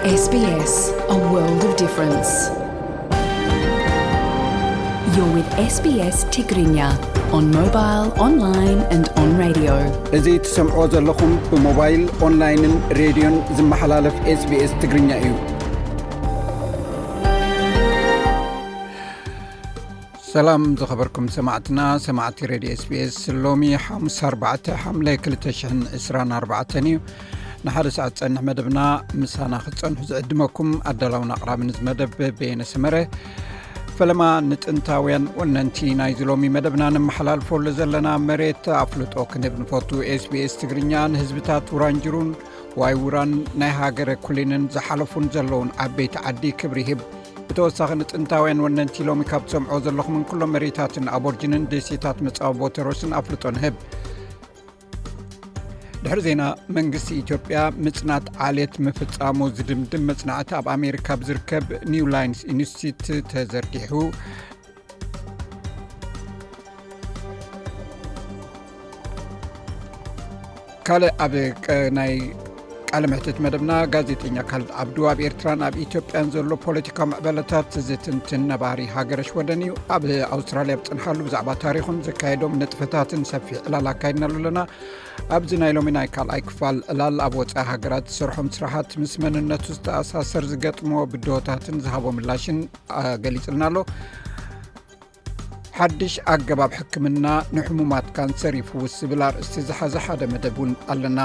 S B S, a world of difference. You're with S B S Tigrinya on mobile, online and on radio. እዚ ትሰምዖ ዘለኹም ብሞባይል፣ ኦንላይንን ሬድዮን ዝመሓላለፍ S B S ትግርኛ እዩ። ሰላም ዝኸበርኩም ሰማዕትና፣ ሰማዕቲ ሬድዮ S B S፣ ሎሚ ሓሙስ ኣርባዕተ ሓምለ ክልተ ሽሕን ዕስራን ኣርባዕተን እዩ። ንሓደ ሰዓት ዝጸንሕ መደብና ምሳና ክትጸንሑ ዝዕድመኩም ኣዳላውን ኣቕራብን እዚ መደብ በየነ ሰመረ። ፈለማ ንጥንታውያን ወነንቲ ናይዚ ሎሚ መደብና ነመሓላልፈሉ ዘለና መሬት ኣፍልጦ ክንህብ ንፈቱ። S B S ትግርኛ ንህዝብታት ውራንጅሩን ዋይ ውራን ናይ ሃገረ ኩሊንን ዝሓለፉን ዘለውን ዓበይቲ ዓዲ ክብሪ ይህብ። ብተወሳኺ ንጥንታውያን ወነንቲ ሎሚ ካብ ትሰምዖ ዘለኹምን ኩሎም መሬታትን ኣቦርጅንን ደሴታት መጻወቦ ተሮስን ኣፍልጦ ንህብ። ድሕሪ ዜና፣ መንግስቲ ኢትዮጵያ ምጽናት ዓሌት ምፍጻሙ ዝድምድም መጽናዕቲ ኣብ ኣሜሪካ ብዝርከብ ኒው ላይንስ ኢንስቲትዩት ተዘርጊሑ። ካልእ ኣብ ቀ-፣ ናይ ቃለ መሕትት መደብና፣ ጋዜጠኛ ካልድ ዓብዱ ኣብ ኤርትራን ኣብ ኢትዮጵያን ዘሎ ፖለቲካዊ ምዕበለታት ዝትንትን ነባሪ ሃገረ ሽወደን እዩ። ኣብ ኣውስትራልያ ኣብ ዝጸንሓሉ ብዛዕባ ታሪኹን ዘካየዶም ንጥፈታትን ሰፊሕ ዕላል ኣካይድናሉ ኣለና። ኣብዚ ናይ ሎሚ ናይ ካልኣይ ክፋል ዕላል ኣብ ወጻኢ ሃገራት ዝሰርሖም ስራሓት ምስ መንነቱ ዝተኣሳሰር ዝገጥሞ ብድሆታትን ዝሃቦ ምላሽን፣ አ፣ ገሊጽልና ኣሎ። ሓድሽ ኣገባብ ሕክምና ንሕሙማት ካንሰር ይፍውስ ዝብል ኣርእስቲ ዝሓዘ ሓደ መደብ እውን ኣለና።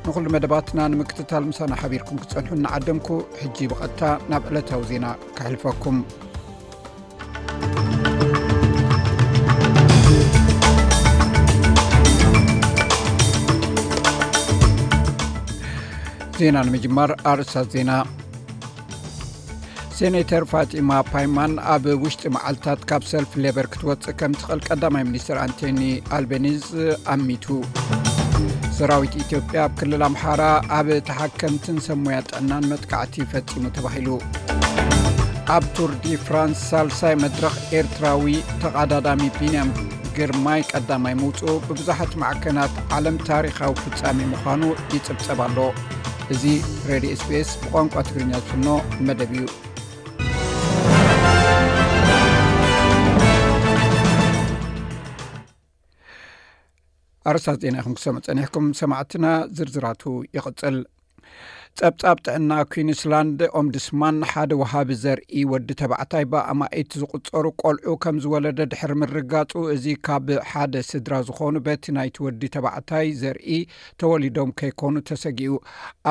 ንኹሉ መደባትና ንምክትታል ምሳና ሓቢርኩም ክትጸንሑ እናዓደምኩ፣ ሕጂ ብቐጥታ ናብ ዕለታዊ ዜና ከሕልፈኩም። ዜና ንምጅማር ኣርእስታት ዜና። ሴኔተር ፋጢማ ፓይማን ኣብ ውሽጢ መዓልታት ካብ ሰልፊ ሌበር ክትወጽእ ከም ትኽእል ቀዳማይ ሚኒስትር ኣንቶኒ ኣልቤኒዝ ኣሚቱ። ሰራዊት ኢትዮጵያ ኣብ ክልል ኣምሓራ ኣብ ተሓከምትን ሰብ ሞያ ጥዕናን መጥቃዕቲ ፈጺሙ ተባሂሉ። ኣብ ቱር ዲ ፍራንስ ሳልሳይ መድረኽ ኤርትራዊ ተቐዳዳሚ ቢንያም ግርማይ ቀዳማይ ምውጽኡ ብብዙሓት ማዕከናት ዓለም ታሪኻዊ ፍጻሜ ምዃኑ ይጽብጸብ ኣሎ። እዚ ሬድዮ S B S ብቋንቋ ትግርኛ ዝፍኖ መደብ እዩ። ኣርእስታት ዜና ኢኹም ክሰምዑ ጸኒሕኩም ሰማዕትና፣ ዝርዝራቱ ይቕጽል። ጸብጻብ ጥዕና ኩዊንስላንድ ኦምቡድስማን ሓደ ወሃቢ ዘርኢ ወዲ ተባዕታይ ብኣማኢት ዝቑጸሩ ቆልዑ ከም ዝወለደ ድሕሪ ምርጋጹ፣ እዚ ካብ ሓደ ስድራ ዝኾኑ በቲ ናይቲ ወዲ ተባዕታይ ዘርኢ ተወሊዶም ከይኮኑ ተሰጊኡ።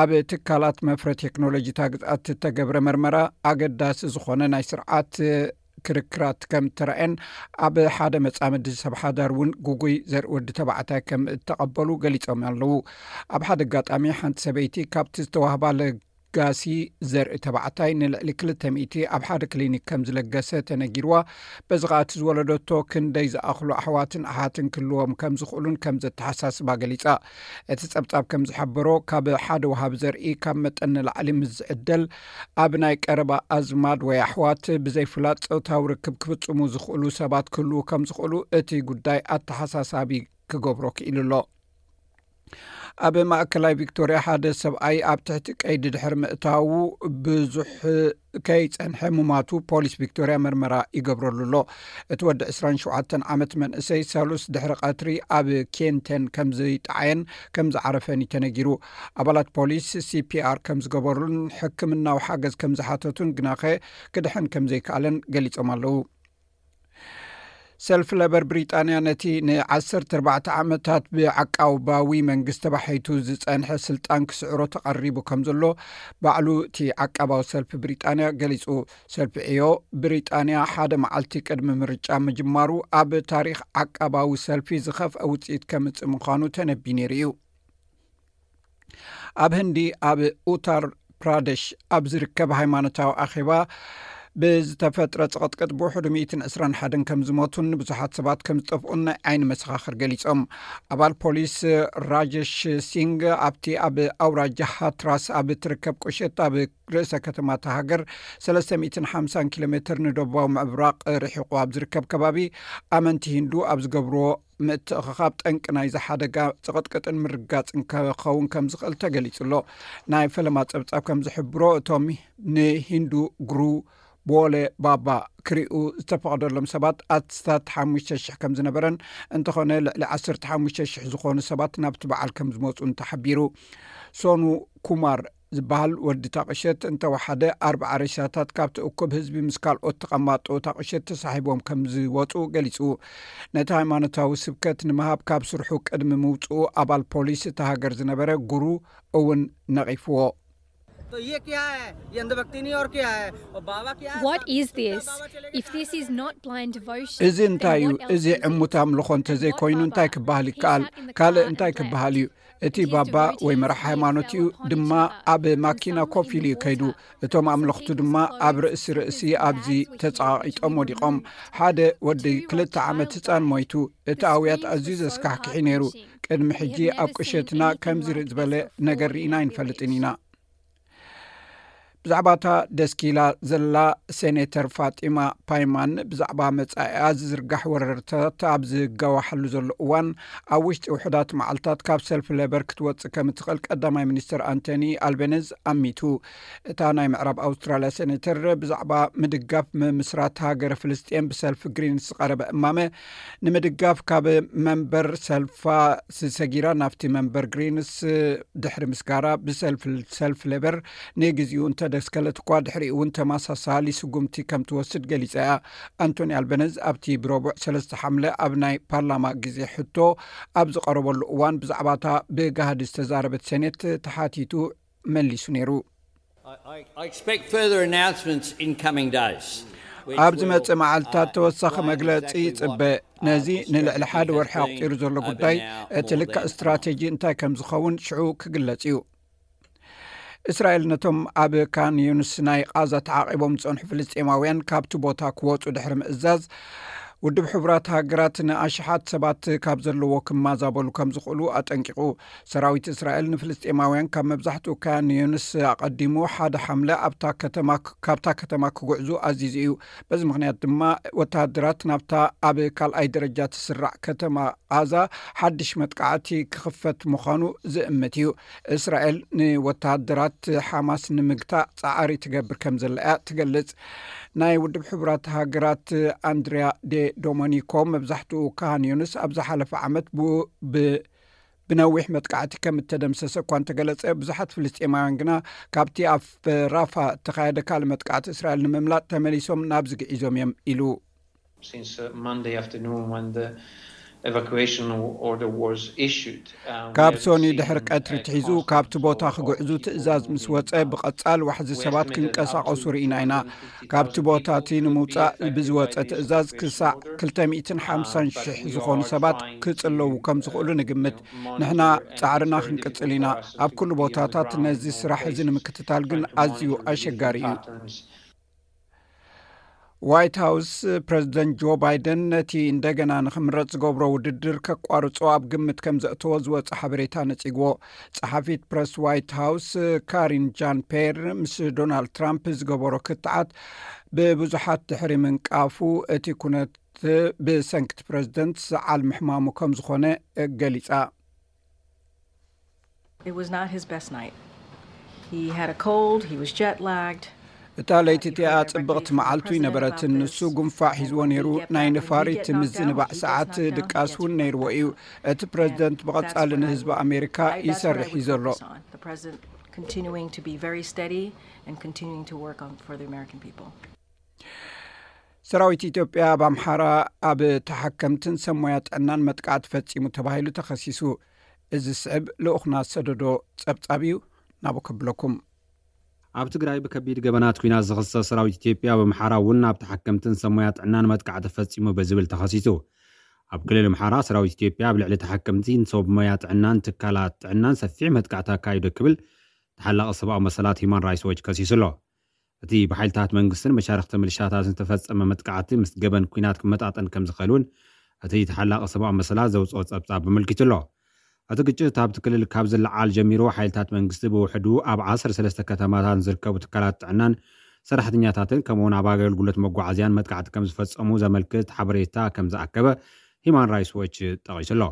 ኣብ ትካላት መፍረ ቴክኖሎጂታት ግዝኣት እተገብረ መርመራ ኣገዳሲ ዝኾነ ናይ ስርዓት ክርክራት ከም እተራእየን ኣብ ሓደ መጻምዲ ሰብ ሓዳር እውን ግጉይ ዘርኢ ወዲ ተባዕታይ ከም እተቐበሉ ገሊጾም ኣለዉ። ኣብ ሓደ ኣጋጣሚ ሓንቲ ሰበይቲ ካብቲ ዝተዋህባ ለጋሲ ዘርኢ ተባዕታይ ንልዕሊ ክልተ ሚእቲ ኣብ ሓደ ክሊኒክ ከም ዝለገሰ ተነጊርዋ። በዚ ኸኣ እቲ ዝወለደቶ ክንደይ ዝኣኽሉ ኣሕዋትን ኣሓትን ክህልዎም ከም ዝኽእሉን ከም ዘተሓሳስባ ገሊጻ። እቲ ጸብጻብ ከም ዝሓበሮ፣ ካብ ሓደ ወሃቢ ዘርኢ ካብ መጠን ንላዕሊ ምስ ዝዕደል፣ ኣብ ናይ ቀረባ ኣዝማድ ወይ ኣሕዋት ብዘይፍላጥ ጾታዊ ርክብ ክፍጽሙ ዝኽእሉ ሰባት ክህልዉ ከም ዝኽእሉ እቲ ጉዳይ ኣተሓሳሳቢ ክገብሮ ክኢሉ ኣሎ። ኣብ ማእከላይ ቪክቶርያ ሓደ ሰብኣይ ኣብ ትሕቲ ቀይዲ ድሕሪ ምእታዉ ብዙሕ ከይጸንሐ ምሟቱ ፖሊስ ቪክቶርያ መርመራ ይገብረሉ ኣሎ። እቲ ወዲ ዕስራን ሸውዓተን ዓመት መንእሰይ ሰሉስ ድሕሪ ቀትሪ ኣብ ኬንተን ከም ዝጠዓየን ከም ዝዓረፈን እዩ ተነጊሩ። ኣባላት ፖሊስ C P R ከም ዝገበሩን ሕክምናዊ ሓገዝ ከም ዝሓተቱን ግናኸ ክድሕን ከም ዘይከኣለን ገሊጾም ኣለዉ። ሰልፊ ለበር ብሪጣንያ ነቲ ንዓሰርተ ኣርባዕተ ዓመታት ብዓቃባዊ መንግስቲ ተባሒቱ ዝጸንሐ ስልጣን ክስዕሮ ተቐሪቡ ከም ዘሎ ባዕሉ እቲ ዓቃባዊ ሰልፊ ብሪጣንያ ገሊጹ። ሰልፊ ዕዮ ብሪጣንያ ሓደ መዓልቲ ቅድሚ ምርጫ ምጅማሩ ኣብ ታሪኽ ዓቃባዊ ሰልፊ ዝኸፍአ ውጽኢት ከምጽእ ምዃኑ ተነብዩ ነይሩ እዩ። ኣብ ህንዲ ኣብ ኡታር ፕራደሽ ኣብ ዝርከብ ሃይማኖታዊ ኣኼባ ብዝተፈጥረ ጽቕጥቅጥ ብውሕዱ ሚእትን ዕስራን ሓደን ከም ዝሞቱን ብዙሓት ሰባት ከም ዝጠፍኡን ናይ ዓይኒ መሰኻኽር ገሊጾም። ኣባል ፖሊስ ራጀሽ ሲንግ ኣብቲ ኣብ ኣውራጃ ሃትራስ ኣብ እትርከብ ቁሸት ኣብ ርእሰ ከተማ እታ ሃገር ሰለስተ ሚእትን ሓምሳን ኪሎ ሜትር ንደቡባዊ ምብራቕ ርሒቑ ኣብ ዝርከብ ከባቢ ኣመንቲ ሂንዱ ኣብ ዝገብርዎ ምትእኽኻብ ጠንቂ ናይዚ ሓደጋ ጽቕጥቅጥን ምርጋጽን ክኸውን ከም ዝኽእል ተገሊጹ ኣሎ። ናይ ፈለማ ጸብጻብ ከም ዝሕብሮ፣ እቶም ንሂንዱ ግሩ ቦለ ባባ ክሪኡ ዝተፈቐደሎም ሰባት ኣስታት ሓሙሽተ ሽሕ ከም ዝነበረን፣ እንተኾነ ልዕሊ ዓሰርተ ሓሙሽተ ሽሕ ዝኾኑ ሰባት ናብቲ በዓል ከም ዝመፁ እንተሓቢሩ። ሶኑ ኩማር ዝበሃል ወዲ ታቕሸት እንተወሓደ ኣርባዓ ሬሳታት ካብቲ እኩብ ህዝቢ ምስ ካልኦት ተቐማጦ ታቕሸት ተሳሒቦም ከም ዝወፁ ገሊፁ። ነቲ ሃይማኖታዊ ስብከት ንምሃብ ካብ ስርሑ ቅድሚ ምውፅኡ ኣባል ፖሊስ እታ ሃገር ዝነበረ ጉሩ እውን ነቒፍዎ። तो ये क्या है? ये अंधभक्ति नहीं और क्या है? और बाबा क्या है? What is साक्षात this? बाबा चले गए If this is not blind devotion, እዚ እንታይ እዩ? እዚ ዕሙት ኣምልኾ እንተዘይኮይኑ እንታይ ክበሃል ይከኣል? ካልእ እንታይ ክበሃል እዩ? እቲ ባባ ወይ መራሕ ሃይማኖት እዩ ድማ ኣብ ማኪና ኮፍ ኢሉ እዩ ከይዱ። እቶም ኣምለኽቱ ድማ ኣብ ርእሲ ርእሲ ኣብዚ ተጸቓቒጦም ወዲቖም። ሓደ ወዲ ክልተ ዓመት ህፃን ሞይቱ። እቲ ኣውያት ኣዝዩ ዘስካሕክሒ ነይሩ። ቅድሚ ሕጂ ኣብ ቁሸትና ከምዚ ዝበለ ነገር ርኢና ኣይንፈልጥን ኢና። ብዛዕባ እታ ደስኪላ ዘላ ሴኔተር ፋጢማ ፓይማን ብዛዕባ መጻኢኣ ዝዝርጋሕ ወረርታት ኣብ ዝጋዋሓሉ ዘሎ እዋን፣ ኣብ ውሽጢ ውሑዳት መዓልታት ካብ ሰልፊ ሌበር ክትወጽእ ከም እትኽእል ቀዳማይ ሚኒስትር ኣንቶኒ ኣልቤነዝ ኣሚቱ። እታ ናይ ምዕራብ ኣውስትራልያ ሴኔተር ብዛዕባ ምድጋፍ ምምስራት ሃገረ ፍልስጤን ብሰልፊ ግሪንስ ዝቐረበ እማመ ንምድጋፍ ካብ መንበር ሰልፋ ሰጊራ ናብቲ መንበር ግሪንስ ድሕሪ ምስጋራ ብሰልፊ ሰልፊ ሌበር ንግዚኡ እንተደስከለት እኳ ድሕሪኡ እውን ተመሳሳሊ ስጉምቲ ከም ትወስድ ገሊጻ እያ። ኣንቶኒ ኣልበነዝ ኣብቲ ብረቡዕ ሰለስተ ሓምለ ኣብ ናይ ፓርላማ ግዜ ሕቶ ኣብ ዝቐረበሉ እዋን ብዛዕባታ ብጋህዲ ዝተዛረበት ሴኔት ተሓቲቱ መሊሱ ነይሩ። I, I, I expect further announcements in coming days. ኣብ ዝመጽእ መዓልታት ተወሳኺ መግለጺ ይጽበ። ነዚ ንልዕሊ ሓደ ወርሒ ኣቑጺሩ ዘሎ ጉዳይ እቲ ልክዕ ስትራቴጂ እንታይ ከም ዝኸውን ሽዑ ክግለጽ እዩ። እስራኤል ነቶም ኣብ ካን ዩንስ ናይ ቓዛ ተዓቒቦም ዝጸንሑ ፍልስጤማውያን ካብቲ ቦታ ክወጹ ድሕሪ ምእዛዝ፣ ውድብ ሕቡራት ሃገራት ንኣሽሓት ሰባት ካብ ዘለዎ ክመዛበሉ ከም ዝኽእሉ ኣጠንቂቑ። ሰራዊት እስራኤል ንፍልስጤማውያን ካብ መብዛሕትኡ ካን ዩንስ ኣቐዲሙ ሓደ ሓምለ ኣብታ ከተማ፣ ካብታ ከተማ ክጉዕዙ ኣዚዙ እዩ። በዚ ምኽንያት ድማ ወተሃደራት ናብታ ኣብ ካልኣይ ደረጃ ትስራዕ ከተማ ቓዛ ሓድሽ መጥቃዕቲ ክኽፈት ምዃኑ ዝእምት እዩ። እስራኤል ንወተሃደራት ሓማስ ንምግታእ ጻዕሪ ትገብር ከም ዘላ እያ ትገልጽ። ናይ ውድብ ሕቡራት ሃገራት ኣንድሪያ ዴ ዶሞኒኮ መብዛሕትኡ ካን ዩንስ ኣብ ዝሓለፈ ዓመት ብ- ብ- ብነዊሕ መጥቃዕቲ ከም እተደምሰሰ እኳ እንተገለጸ፣ ብዙሓት ፍልስጤማውያን ግና ካብቲ ኣብ ራፋ እተኻየደ ካልእ መጥቃዕቲ እስራኤል ንምምላጥ ተመሊሶም ናብዚ ግዒዞም እዮም ኢሉ። Since uh, Monday afternoon when the evacuation order was issued. Uh, we ካብ have ሶኒ seen, ድሕሪ uh, ቀትሪ ትሒዙ constant ካብቲ ቦታ flow of ክጉዕዙ people ትእዛዝ moving ምስ ወጸ out. ብቐጻል ዋሕዚ ሰባት ክንቀሳቐሱ ርኢና ኢና። ካብቲ ቦታ እቲ ንምውጻእ ብዝወጸ ትእዛዝ ክሳዕ ክልተ ሚእትን ሓምሳን ሽሕ ዝኾኑ ሰባት ክጽለዉ ከም ዝኽእሉ ንግምት። ንሕና ጻዕርና ክንቅጽል ኢና። ኣብ ኩሉ ቦታታት ነዚ ስራሕ እዚ ንምክትታል ግን ኣዝዩ ኣሸጋሪ እዩ። ዋይት ሃውስ ፕረዚደንት ጆ ባይደን ነቲ እንደገና ንክምረጽ ዝገብሮ ውድድር ከቋርጾ ኣብ ግምት ከም ዘእተዎ ዝወጸ ሓበሬታ ነጺግዎ። ጸሓፊት ፕረስ ዋይት ሃውስ ካሪን ጃን ፔር ምስ ዶናልድ ትራምፕ ዝገበሮ ክትዓት ብብዙሓት ድሕሪ ምንቃፉ እቲ ኩነት ብሰንክቲ ፕረዚደንት ዝዓል ምሕማሙ ከም ዝኾነ ገሊጻ። It was not his best night. He had a cold, he was jet lagged. እታ ለይቲ እቲኣ ጽብቕቲ መዓልቱ ኣይነበረትን። ንሱ ጉንፋዕ ሒዝዎ ነይሩ። ናይ ነፋሪት ምዝንባዕ ሰዓት ድቃስ እውን ነይርዎ እዩ። እቲ ፕረዚደንት ብቐጻሊ ንህዝቢ ኣሜሪካ ይሰርሕ እዩ ዘሎ። The president continuing to be very steady and continuing to work on for the American people. ሰራዊት ኢትዮጵያ ኣብ ኣምሓራ ኣብ ተሓከምትን ሰብ ሞያ ጥዕናን መጥቃዕቲ ፈጺሙ ተባሂሉ ተኸሲሱ። እዚ ስዕብ ልኡኽና ዝሰደዶ ጸብጻብ እዩ። ናቡ ከብለኩም። ኣብ ትግራይ ብከቢድ ገበናት ኲናት ዝኽሰስ ሰራዊት ኢትዮጵያ ኣብ ኣምሓራ እውን ኣብ ተሓከምትን ሰብ ሞያ ጥዕናን መጥቃዕቲ ፈጺሙ ብዝብል ተኸሲሱ። ኣብ ክልል ኣምሓራ ሰራዊት ኢትዮጵያ ኣብ ልዕሊ ተሓከምትን ሰብ ሞያ ጥዕናን ትካላት ጥዕናን ሰፊሕ መጥቃዕቲ ኣካይዱ ክብል ተሓላቒ ሰብኣዊ መሰላት ሂማን ራይትስ ዎች ከሲሱ ኣሎ። እቲ ብሓይልታት መንግስትን መሻርኽቲ ምልሻታትን ዝተፈጸመ መጥቃዕቲ ምስ ገበን ኲናት ክመጣጠን ከም ዝኽእል እውን እቲ ተሓላቒ ሰብኣዊ መሰላት ዘውፅኦ ጸብጻብ ኣመልኪቱ ኣሎ። እቲ ግጭት ኣብቲ ክልል ካብ ዝለዓል ጀሚሩ ሓይልታት መንግስቲ ብውሕዱ ኣብ ዓሰርተ ሰለስተ ከተማታት ዝርከቡ ትካላት ጥዕናን ሰራሕተኛታትን ከምኡውን ኣብ ኣገልግሎት መጓዓዝያን መጥቃዕቲ ከም ዝፈጸሙ ዘመልክት ሓበሬታ ከም ዝኣከበ ሂማን ራይትስ ዎች ጠቒሱ ኣሎ።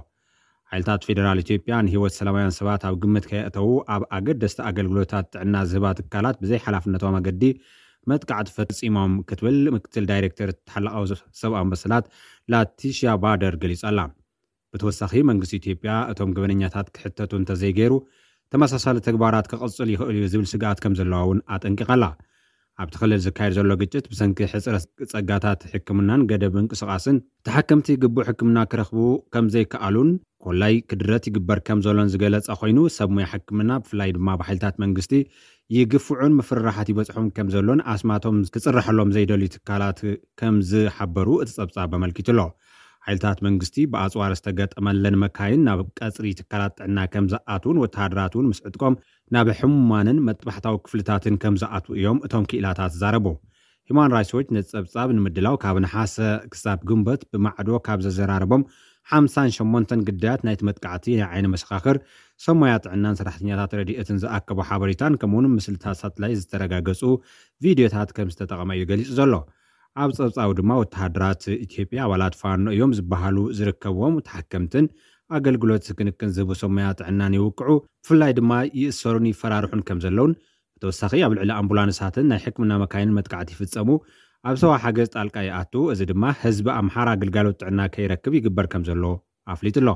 ሓይልታት ፌደራል ኢትዮጵያ ንህይወት ሰላማውያን ሰባት ኣብ ግምት ከየእተዉ ኣብ ኣገደስቲ ኣገልግሎታት ጥዕና ዝህባ ትካላት ብዘይ ሓላፍነታዊ መገዲ መጥቃዕቲ ፈጺሞም ክትብል ምክትል ዳይሬክተር ተሓላቓዊ ሰብኣዊ መሰላት ላቲሽያ ባደር ገሊጻ ኣላ። ብተወሳኺ መንግስቲ ኢትዮጵያ እቶም ገበነኛታት ክሕተቱ እንተዘይገይሩ ተመሳሳሊ ተግባራት ክቕጽል ይኽእል እዩ ዝብል ስግኣት ከም ዘለዋ እውን ኣጠንቂቓ ኣላ። ኣብቲ ክልል ዝካየድ ዘሎ ግጭት ብሰንኪ ሕፅረት ጸጋታት ሕክምናን ገደብ ምንቅስቓስን ተሓከምቲ ግቡእ ሕክምና ክረኽቡ ከም ዘይከኣሉን ኮላይ ክድረት ይግበር ከም ዘሎን ዝገለጸ ኮይኑ ሰብ ሙያ ሕክምና ብፍላይ ድማ ብሓይልታት መንግስቲ ይግፍዑን ምፍርራሓት ይበጽሖም ከም ዘሎን ኣስማቶም ክጽረሐሎም ዘይደልዩ ትካላት ከም ዝሓበሩ እቲ ጸብጻብ ኣመልኪቱ ኣሎ። ሓይልታት መንግስቲ ብኣጽዋር ዝተገጠመለን መካይን ናብ ቀጽሪ ትካላት ጥዕና ከም ዝኣትውን ወተሃደራት እውን ምስ ዕጥቆም ናብ ሕሙማንን መጥባሕታዊ ክፍልታትን ከም ዝኣትዉ እዮም እቶም ክኢላታት ዝዛረቡ። ሂማን ራይትስ ዎች ነቲ ጸብጻብ ንምድላው ካብ ነሓሰ ክሳብ ግንቦት ብማዕዶ ካብ ዘዘራረቦም ሓምሳን ሸሞንተን ግዳያት ናይቲ መጥቃዕቲ ናይ ዓይኒ መሰኻኽር፣ ሰብ ሞያ ጥዕናን ሰራሕተኛታት ረድኤትን ዝኣከቦ ሓበሬታን ከምኡውን ምስልታት ሳትላይት ዝተረጋገጹ ቪድዮታት ከም ዝተጠቐመ እዩ ገሊጹ ዘሎ። ኣብ ጸብጻቡ ድማ ወተሃደራት ኢትዮጵያ ኣባላት ፋኖ እዮም ዝበሃሉ ዝርከብዎም ተሓከምትን ኣገልግሎት ክንክን ዝህቡ ሰብ ሞያ ጥዕናን ይውቅዑ። ብፍላይ ድማ ይእሰሩን ይፈራርሑን ከም ዘለውን ብተወሳኺ ኣብ ልዕሊ ኣምቡላንሳትን ናይ ሕክምና መካይንን መጥቃዕቲ ይፍጸሙ፣ ኣብ ሰብኣዊ ሓገዝ ጣልቃ ይኣቱ፣ እዚ ድማ ህዝቢ ኣምሓራ ግልጋሎት ጥዕና ከይረክብ ይግበር ከም ዘሎ ኣፍሊጡ ኣሎ።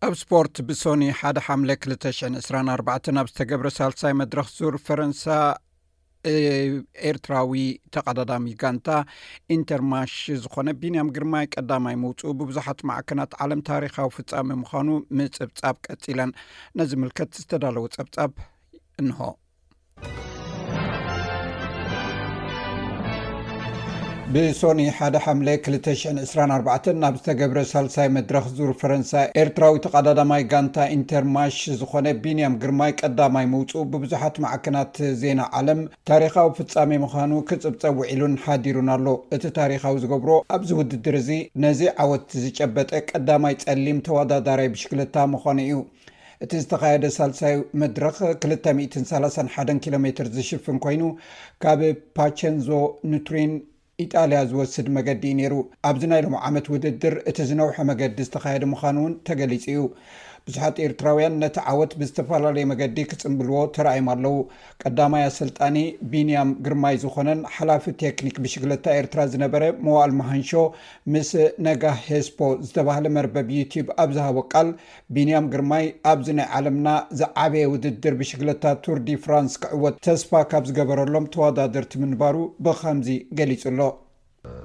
ኣብ ስፖርት ብሶኒ ሓደ ሓምለ ክልተ ሽሕን ዕስራን ኣርባዕተን ኣብ ዝተገብረ ሳልሳይ መድረኽ ዙር ፈረንሳ ኤርትራዊ ተቐዳዳሚ ጋንታ ኢንተርማሽ ዝኾነ ቢንያም ግርማይ ቀዳማይ ምውፅኡ ብብዙሓት ማዕከናት ዓለም ታሪኻዊ ፍጻሜ ምዃኑ ምጽብጻብ ቀጺለን። ነዚ ምልከት ዝተዳለወ ጸብጻብ እንሆ። ብሶኒ ሓደ ሓምለ ክልተ ሽሕን ዕስራን ኣርባዕተን ናብ ዝተገብረ ሳልሳይ መድረኽ ዙር ፈረንሳ ኤርትራዊ ተቐዳዳማይ ጋንታ ኢንተርማሽ ዝኾነ ቢንያም ግርማይ ቀዳማይ ምውፅኡ ብብዙሓት ማዕከናት ዜና ዓለም ታሪኻዊ ፍጻሜ ምዃኑ ክጽብጸብ ውዒሉን ሓዲሩን ኣሎ። እቲ ታሪኻዊ ዝገብሮ ኣብዚ ውድድር እዚ ነዚ ዓወት ዝጨበጠ ቀዳማይ ጸሊም ተወዳዳራይ ብሽክለታ ምዃኑ እዩ። እቲ ዝተኻየደ ሳልሳይ መድረኽ ክልተ ሚእትን ሰላሳን ሓደን ኪሎ ሜትር ዝሽፍን ኮይኑ ካብ ፓቸንዞ ኑትሪን ኢጣልያ ዝወስድ መገዲ እዩ ነይሩ። ኣብዚ ናይ ሎሚ ዓመት ውድድር እቲ ዝነውሐ መገዲ ዝተኻየደ ምዃኑ እውን ተገሊጹ እዩ። ብዙሓት ኤርትራውያን ነቲ ዓወት ብዝተፈላለየ መገዲ ክጽንብልዎ ተራእዮም ኣለዉ። ቀዳማይ ኣሰልጣኒ ቢንያም ግርማይ ዝኾነን ሓላፊ ቴክኒክ ብሽግለታ ኤርትራ ዝነበረ መዋእል መሃንሾ ምስ ነጋ ሄስፖ ዝተባህለ መርበብ ዩቲዩብ ኣብ ዝሃቦ ቃል ቢንያም ግርማይ ኣብዚ ናይ ዓለምና ዝዓበየ ውድድር ብሽግለታ ቱር ዲ ፍራንስ ክዕወት ተስፋ ካብ ዝገበረሎም ተወዳደርቲ ምንባሩ ብኸምዚ ገሊጹ ኣሎ።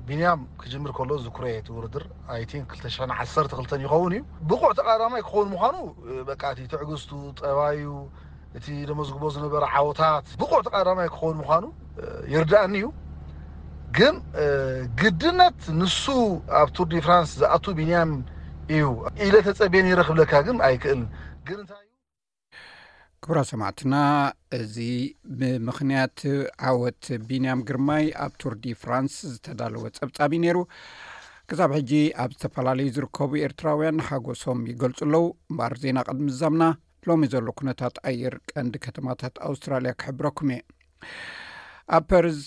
ቢንያም ክጅምር ከሎ ዝኩረ እቲ ውድድር ኣይ ቲንክ ክልተ ሽሕን ዓሰርተ ክልተን ይኸውን እዩ። ብቑዕ ተቐዳዳማይ ክኸውን ምዃኑ በቃ እቲ ትዕግስቱ፣ ጠባዩ፣ እቲ ደመዝግቦ ዝነበረ ዓወታት ብቑዕ ተቐዳዳማይ ክኸውን ምዃኑ ይርድኣኒ እዩ። ግን ግድነት ንሱ ኣብ ቱር ዲ ፍራንስ ዝኣቱ ቢንያም እዩ ኢለ ተጸብየ ነይረ ክብለካ ግን ኣይክእልን። ግን እንታይ ክቡራ ሰማዕትና፣ እዚ ብምኽንያት ዓወት ቢንያም ግርማይ ኣብ ቱር ዲ ፍራንስ ዝተዳለወ ጸብጻብ እዩ ነይሩ። ክሳብ ሕጂ ኣብ ዝተፈላለዩ ዝርከቡ ኤርትራውያን ሓጎሶም ይገልጹ ኣለዉ። እምበኣር ዜና ቅድሚ ምዛምና ሎሚ ዘሎ ኩነታት ኣየር ቀንዲ ከተማታት ኣውስትራልያ ክሕብረኩም እየ። ኣብ ፐርዝ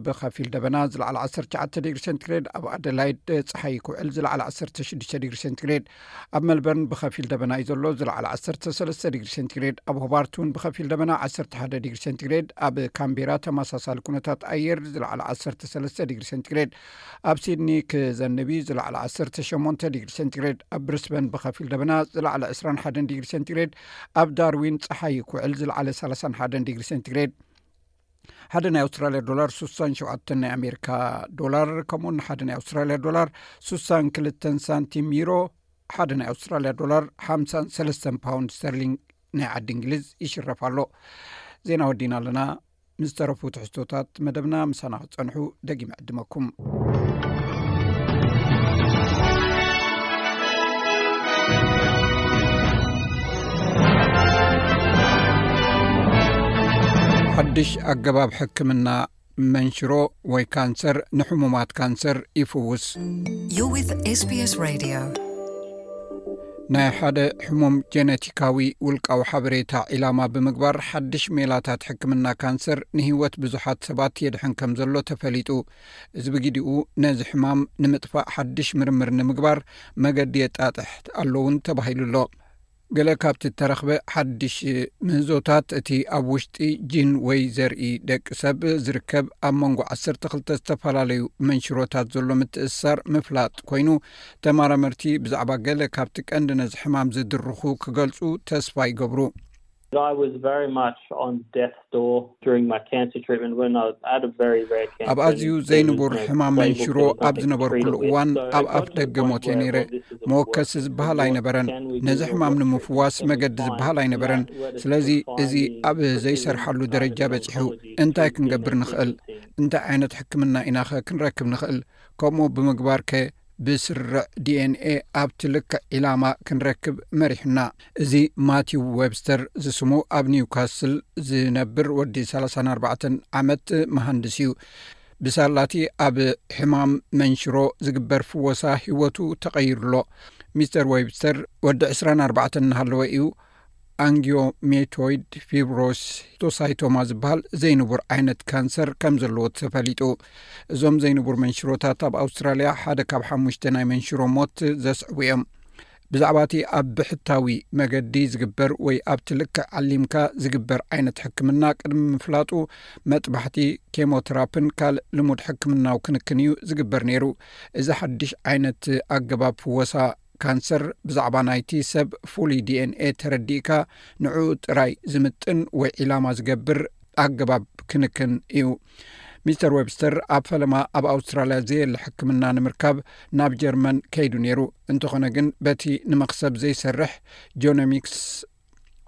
ብኸፊል ደበና ዝለዓለ ዓሰርተ ትሽዓተ ዲግሪ ሴንቲግሬድ፣ ኣብ ኣደላይድ ጸሓይ ክውዕል ዝለዓለ ዓሰርተ ሽዱሽተ ዲግሪ ሴንቲግሬድ፣ ኣብ መልበርን ብኸፊል ደበና እዩ ዘሎ ዝለዓለ ዓሰርተ ሰለስተ ዲግሪ ሴንቲግሬድ፣ ኣብ ሆባርት እውን ብኸፊል ደበና ዓሰርተ ሓደ ዲግሪ ሴንቲግሬድ፣ ኣብ ካምቤራ ተመሳሳሊ ኩነታት ኣየር ዝለዓለ ዓሰርተ ሰለስተ ዲግሪ ሴንቲግሬድ፣ ኣብ ሲድኒ ክዘንብ እዩ ዝለዓለ ዓሰርተ ሸሞንተ ዲግሪ ሴንቲግሬድ፣ ኣብ ብሪስበን ብኸፊል ደበና ዝለዓለ ዕስራን ሓደን ዲግሪ ሴንቲግሬድ፣ ኣብ ዳርዊን ጸሓይ ክውዕል ዝለዓለ ሰላሳን ሓደን ዲግሪ ሴንቲግሬድ። ሓደ ናይ ኣውስትራልያ ዶላር ስሳን ሸውዓተን ናይ ኣሜሪካ ዶላር፣ ከምኡውን ሓደ ናይ ኣውስትራልያ ዶላር ስሳን ክልተን ሳንቲም ዩሮ፣ ሓደ ናይ ኣውስትራልያ ዶላር ሓምሳን ሰለስተን ፓውንድ ስተርሊንግ ናይ ዓዲ እንግሊዝ ይሽረፍ ኣሎ። ዜና ወዲና ኣለና። ምስ ተረፉ ትሕዝቶታት መደብና ምሳና ክትጸንሑ ደጊመ ዕድመኩም። ሓድሽ ኣገባብ ሕክምና መንሽሮ ወይ ካንሰር ንሕሙማት ካንሰር ይፍውስ። You're with S B S Radio. ናይ ሓደ ሕሙም ጀነቲካዊ ውልቃዊ ሓበሬታ ዒላማ ብምግባር ሓድሽ ሜላታት ሕክምና ካንሰር ንህይወት ብዙሓት ሰባት የድሕን ከም ዘሎ ተፈሊጡ። እዚ ብግዲኡ ነዚ ሕማም ንምጥፋእ ሓድሽ ምርምር ንምግባር መገዲ የጣጥሕ ኣሎ እውን ተባሂሉ ኣሎ። ገለ ካብቲ እተረኽበ ሓድሽ ምህዞታት እቲ ኣብ ውሽጢ ጂን ወይ ዘርኢ ደቂ ሰብ ዝርከብ ኣብ መንጎ ዓሰርተ ክልተ ዝተፈላለዩ መንሽሮታት ዘሎ ምትእስሳር ምፍላጥ ኮይኑ፣ ተመራመርቲ ብዛዕባ ገለ ካብቲ ቀንዲ ነዚ ሕማም ዝድርኹ ክገልጹ ተስፋ ይገብሩ። I was very much on death's door during my cancer treatment when I had a very rare cancer. ኣብ ኣዝዩ ዘይንቡር ሕማም መንሽሮ ኣብ ዝነበርኩሉ እዋን ኣብ ኣፍ ደገ ሞት እየ ነይረ። መወከሲ ዝበሃል ኣይነበረን። ነዚ ሕማም ንምፍዋስ መገዲ ዝበሃል ኣይነበረን። ስለዚ እዚ ኣብ ዘይሰርሓሉ ደረጃ በጺሑ። እንታይ ክንገብር ንኽእል? እንታይ ዓይነት ሕክምና ኢናኸ ክንረክብ ንኽእል? ከምኡ ብምግባር ከ ብስርዕ ዲኤንኤ ኣብቲ ልክዕ ዒላማ ክንረክብ መሪሕና። እዚ ማቲው ዌብስተር ዝስሙ ኣብ ኒውካስል ዝነብር ወዲ ሰላሳን ኣርባዕተን ዓመት መሃንድስ እዩ። ብሳላቲ ኣብ ሕማም መንሽሮ ዝግበር ፍወሳ ህይወቱ ተቐይሩሎ። ሚስተር ዌብስተር ወዲ ዕስራን ኣርባዕተን እናሃለወ እዩ ኣንጊዮሜቶይድ ፊብሮሲቶሳይቶማ ዝበሃል ዘይንቡር ዓይነት ካንሰር ከም ዘለዎ ተፈሊጡ። እዞም ዘይንቡር መንሽሮታት ኣብ ኣውስትራልያ ሓደ ካብ ሓሙሽተ ናይ መንሽሮ ሞት ዘስዕቡ እዮም። ብዛዕባ እቲ ኣብ ብሕታዊ መገዲ ዝግበር ወይ ኣብቲ ልክዕ ዓሊምካ ዝግበር ዓይነት ሕክምና ቅድሚ ምፍላጡ መጥባሕቲ፣ ኬሞተራፕን ካልእ ልሙድ ሕክምናዊ ክንክን እዩ ዝግበር ነይሩ። እዚ ሓድሽ ዓይነት ኣገባብ ፍወሳ ካንሰር ብዛዕባ ናይቲ ሰብ ፍሉይ ዲኤንኤ ተረዲእካ ንዕኡ ጥራይ ዝምጥን ወይ ዒላማ ዝገብር ኣገባብ ክንክን እዩ። ሚስተር ዌብስተር ኣብ ፈለማ ኣብ ኣውስትራልያ ዘየለ ሕክምና ንምርካብ ናብ ጀርመን ከይዱ ነይሩ። እንተኾነ ግን በቲ ንመኽሰብ ዘይሰርሕ ጆኖሚክስ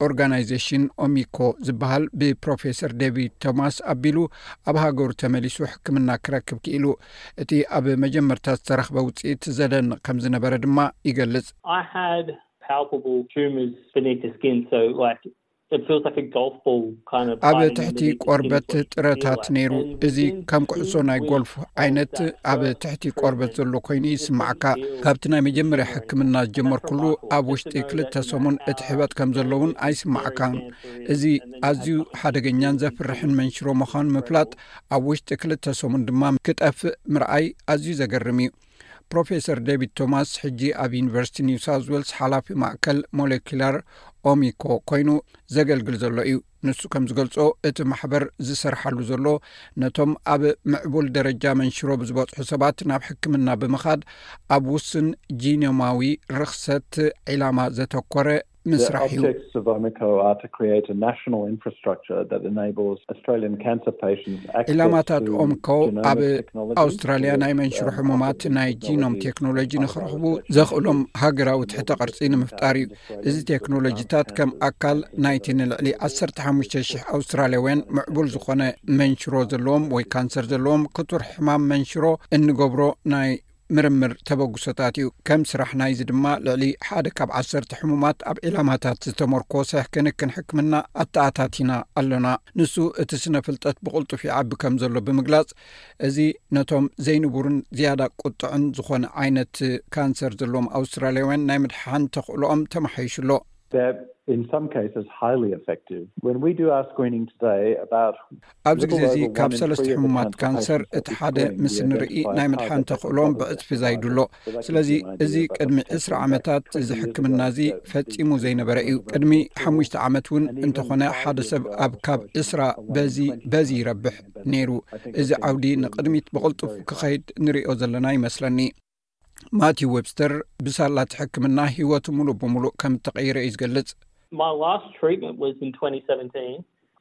ኦርጋናይዜሽን ኦሚኮ ዝበሃል ብፕሮፌሰር ዴቪድ ቶማስ ኣቢሉ ኣብ ሃገሩ ተመሊሱ ሕክምና ክረክብ ክኢሉ። እቲ ኣብ መጀመርታ ዝተረኽበ ውፅኢት ዘደንቕ ከም ዝነበረ ድማ ይገልጽ። I had palpable tumors beneath the skin, so like it feels like a golf ball kind of ኣብ biting ትሕቲ into the skin. ቆርበት ጥረታት ነይሩ። እዚ ከም ኩዕሶ ናይ ጎልፍ ዓይነት ኣብ ትሕቲ ቆርበት ዘሎ ኮይኑ ይስማዕካ። ካብቲ ናይ መጀመርያ ሕክምና ዝጀመርኩሉ ኣብ ውሽጢ ክልተ ሰሙን እቲ ሕበጥ ከም ዘለውን ኣይስማዕካን። እዚ ኣዝዩ ሓደገኛን ዘፍርሕን መንሽሮ ምዃኑ ምፍላጥ፣ ኣብ ውሽጢ ክልተ ሰሙን ድማ ክጠፍእ ምርኣይ ኣዝዩ ዘገርም እዩ። ፕሮፌሰር ዴቪድ ቶማስ ሕጂ ኣብ ዩኒቨርሲቲ ኒው ሳውዝ ዌልስ ሓላፊ ማእከል ሞሌኩላር ኦሚኮ ኮይኑ ዘገልግል ዘሎ እዩ። ንሱ ከም ዝገልጾ፣ እቲ ማሕበር ዝሰርሓሉ ዘሎ ነቶም ኣብ ምዕቡል ደረጃ መንሽሮ ብዝበጽሑ ሰባት ናብ ሕክምና ብምኻድ ኣብ ውስን ጂኖማዊ ርኽሰት ዒላማ ዘተኮረ ምስራሕ እዩ። Objectives of Omico are to create a national infrastructure that enables Australian cancer patients access ዒላማታት to ኦምኮ ኣብ genomic technology ኣውስትራልያ ናይ መንሽሮ ሕሙማት ናይ ጂኖም ቴክኖሎጂ ንክረኽቡ ዘኽእሎም ሃገራዊ ትሕተ ቅርጺ ንምፍጣር እዩ። እዚ ቴክኖሎጂታት ከም ኣካል ናይቲ ንልዕሊ ዓሰርተ ሓሙሽተ ሽሕ ኣውስትራልያውያን ምዕቡል ዝኾነ መንሽሮ ዘለዎም ወይ ካንሰር ዘለዎም ክቱር ሕማም መንሽሮ እንገብሮ ናይ ምርምር ተበግሶታት እዩ። ከም ስራሕ ናይዚ ድማ ልዕሊ ሓደ ካብ ዓሰርተ ሕሙማት ኣብ ዒላማታት ዝተመርኮሰ ክንክን ሕክምና ኣተኣታቲና ኣሎና። ንሱ እቲ ስነ ፍልጠት ብቕልጡፍ ይዓቢ ከም ዘሎ ብምግላጽ፣ እዚ ነቶም ዘይንቡርን ዝያዳ ቁጥዕን ዝኾነ ዓይነት ካንሰር ዘለዎም ኣውስትራልያውያን ናይ ምድሓን ተኽእሎኦም ተመሓይሹ ኣሎ። They're in some cases highly effective. When we do our screening today, about ኣብዚ ግዜ እዚ ካብ ሰለስተ ሕሙማት ካንሰር እቲ ሓደ ምስ ንርኢ ናይ ምድሓን ተኽእሎም ብዕጽፊ ዛይዱ ኣሎ። ስለዚ እዚ ቅድሚ ዕስራ ዓመታት እዚ ሕክምና እዚ ፈጺሙ ዘይነበረ እዩ። ቅድሚ ሓሙሽተ ዓመት እውን እንተኾነ ሓደ ሰብ ኣብ ካብ ዕስራ በዚ በዚ ይረብሕ ነይሩ። እዚ ዓውዲ ንቕድሚት ብቕልጡፍ ክኸይድ ንሪኦ ዘለና ይመስለኒ። ማቲው ዌብስተር ብሳላት ሕክምና ህይወቱ ሙሉእ ብሙሉእ ከም እተቐይረ እዩ ዝገልጽ። My last treatment was in twenty seventeen.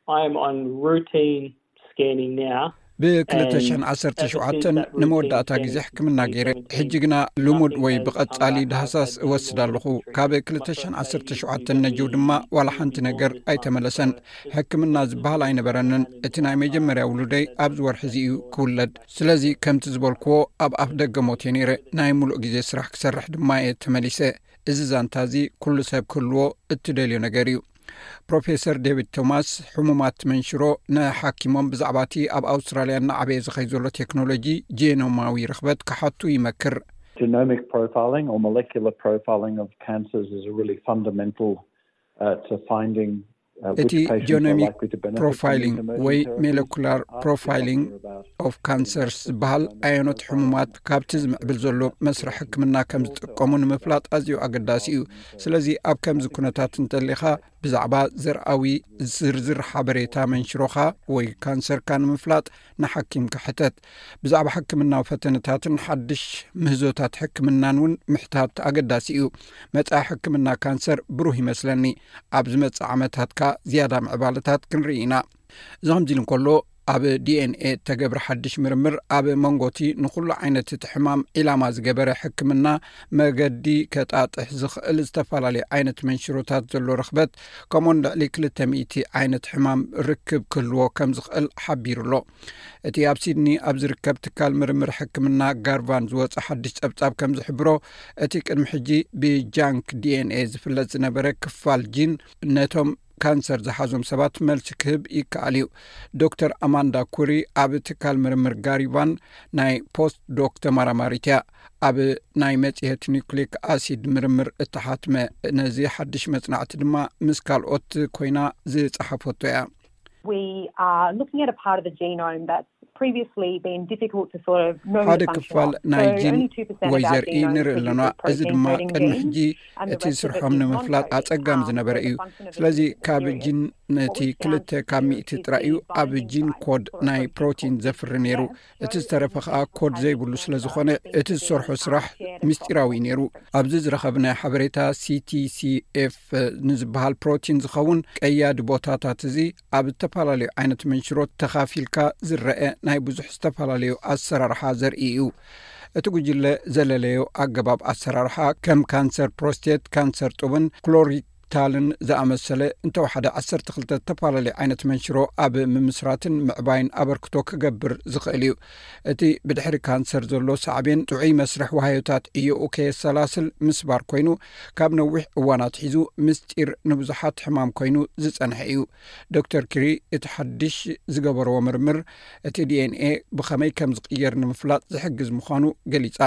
I am on routine scanning now. ብ ክልተ ሽሕን ዓሰርተ ሸውዓተን ንመወዳእታ ግዜ ሕክምና ገይረ። ሕጂ ግና ልሙድ ወይ ብቐጻሊ ዳህሳስ እወስድ ኣለኹ። ካብ ክልተ ሽሕን ዓሰርተ ሸውዓተን ነጅው ድማ ዋላ ሓንቲ ነገር ኣይተመለሰን። ሕክምና ዝበሃል ኣይነበረንን። እቲ ናይ መጀመርያ ውሉደይ ኣብዚ ወርሒ እዚ እዩ ክውለድ። ስለዚ ከምቲ ዝበልክዎ ኣብ ኣፍ ደገ ሞት እየ ነይረ። ናይ ሙሉእ ግዜ ስራሕ ክሰርሕ ድማ እየ ተመሊሰ። እዚ ዛንታ እዚ ኩሉ ሰብ ክህልዎ እትደልዮ ነገር እዩ። ፕሮፌሰር ዴቪድ ቶማስ ሕሙማት መንሽሮ ንሓኪሞም ብዛዕባ እቲ ኣብ ኣውስትራልያ እናዓበየ ዝኸይ ዘሎ ቴክኖሎጂ ጄኖማዊ ርኽበት ክሓቱ ይመክር። Genomic profiling or molecular profiling of cancers is a really fundamental uh, to finding uh, which እቲ patients are ጀኖሚክ likely to benefit from ፕሮፋይሊንግ these emerging ወይ therapies. ሜለኩላር Ask the ፕሮፋይሊንግ doctor about ኦፍ ካንሰርስ ዝበሃል ኣየኖት ሕሙማት ካብቲ ዝምዕብል ዘሎ መስርሕ ሕክምና ከም ዝጥቀሙ ንምፍላጥ ኣዝዩ ኣገዳሲ እዩ። ስለዚ ኣብ ከምዚ ኩነታት እንተሊኻ ብዛዕባ ዘርኣዊ ዝርዝር ሓበሬታ መንሽሮኻ ወይ ካንሰርካ ንምፍላጥ ንሓኪምካ ሕተት። ብዛዕባ ሕክምናዊ ፈተነታትን ሓድሽ ምህዞታት ሕክምናን እውን ምሕታት ኣገዳሲ እዩ። መጻኢ ሕክምና ካንሰር ብሩህ ይመስለኒ። ኣብ ዝመጽእ ዓመታትካ ዝያዳ ምዕባለታት ክንርኢ ኢና። እዚ ከምዚ ኢሉ እንከሎ ኣብ ዲኤንኤ እተገብረ ሓድሽ ምርምር ኣብ መንጎቲ ንኹሉ ዓይነት እቲ ሕማም ዒላማ ዝገበረ ሕክምና መገዲ ከጣጥሕ ዝኽእል ዝተፈላለዩ ዓይነት መንሽሮታት ዘሎ ርኽበት ከምኡን ልዕሊ ክልተ ሚእቲ ዓይነት ሕማም ርክብ ክህልዎ ከም ዝኽእል ሓቢሩ ኣሎ። እቲ ኣብ ሲድኒ ኣብ ዝርከብ ትካል ምርምር ሕክምና ጋርቫን ዝወፀ ሓድሽ ፀብፃብ ከም ዝሕብሮ እቲ ቅድሚ ሕጂ ብጃንክ ዲኤንኤ ዝፍለጥ ዝነበረ ክፋል ጂን ነቶም ካንሰር ዝሓዞም ሰባት መልሲ ክህብ ይከኣል እዩ። ዶክተር ኣማንዳ ኩሪ ኣብ ትካል ምርምር ጋሪቫን ናይ ፖስት ዶክ ተመራማሪት እያ። ኣብ ናይ መጽሔት ኒውክሊክ ኣሲድ ምርምር እተሓትመ ነዚ ሓድሽ መጽናዕቲ ድማ ምስ ካልኦት ኮይና ዝጸሓፈቶ እያ። We are looking at a part of the genome that's previously been difficult to sort of know ሓደ the function ክፋል of. ናይ So ጂን only two percent ወይ of our ዘርኢ genome ንርኢ is ኣለና። this እዚ protein ድማ coding ቅድሚ gene, ሕጂ and the እቲ rest of it ስርሖም is ንምፍላጥ non-coding. ኣጸጋሚ Um, ዝነበረ so እዩ። the function of the ስለዚ genome is ካብ very ጂን odd. ነቲ What we've found ክልተ ካብ here ሚእቲ is ጥራይ the እዩ ኣብ binding ጂን site ኮድ for a ናይ protein ፕሮቲን called ዘፍሪ ነይሩ። F G F. እቲ ዝተረፈ ከዓ ኮድ ዘይብሉ ስለ ዝኾነ እቲ ዝሰርሖ ስራሕ ምስጢራዊ ነይሩ። ኣብዚ ዝረኸብናዮ ሓበሬታ ሲቲሲኤፍ ንዝበሃል ፕሮቲን ዝኸውን ቀያዲ ቦታታት እዚ ኣብ ዝተፈላለዩ ዓይነት መንሽሮት ተኻፊልካ ዝረአ ናይ ብዙሕ ዝተፈላለዩ ኣሰራርሓ ዘርኢ እዩ። እቲ ጉጅለ ዘለለዮ ኣገባብ ኣሰራርሓ ከም ካንሰር ፕሮስቴት፣ ካንሰር ጡብን ክሎሪታልን ዝኣመሰለ እንተወሓደ ዓሰርተ ክልተ ዝተፈላለዩ ዓይነት መንሽሮ ኣብ ምምስራትን ምዕባይን ኣበርክቶ ክገብር ዝኽእል እዩ። እቲ ብድሕሪ ካንሰር ዘሎ ሳዕቤን ጥዑይ መስርሕ ዋህዮታት ዕዮኡ ከየሰላስል ምስባር ኮይኑ ካብ ነዊሕ እዋን ኣትሒዙ ምስጢር ንብዙሓት ሕማም ኮይኑ ዝጸንሐ እዩ። ዶክተር ኪሪ እቲ ሓድሽ ዝገበርዎ ምርምር እቲ ዲኤንኤ ብኸመይ ከም ዝቕየር ንምፍላጥ ዝሕግዝ ምዃኑ ገሊጻ።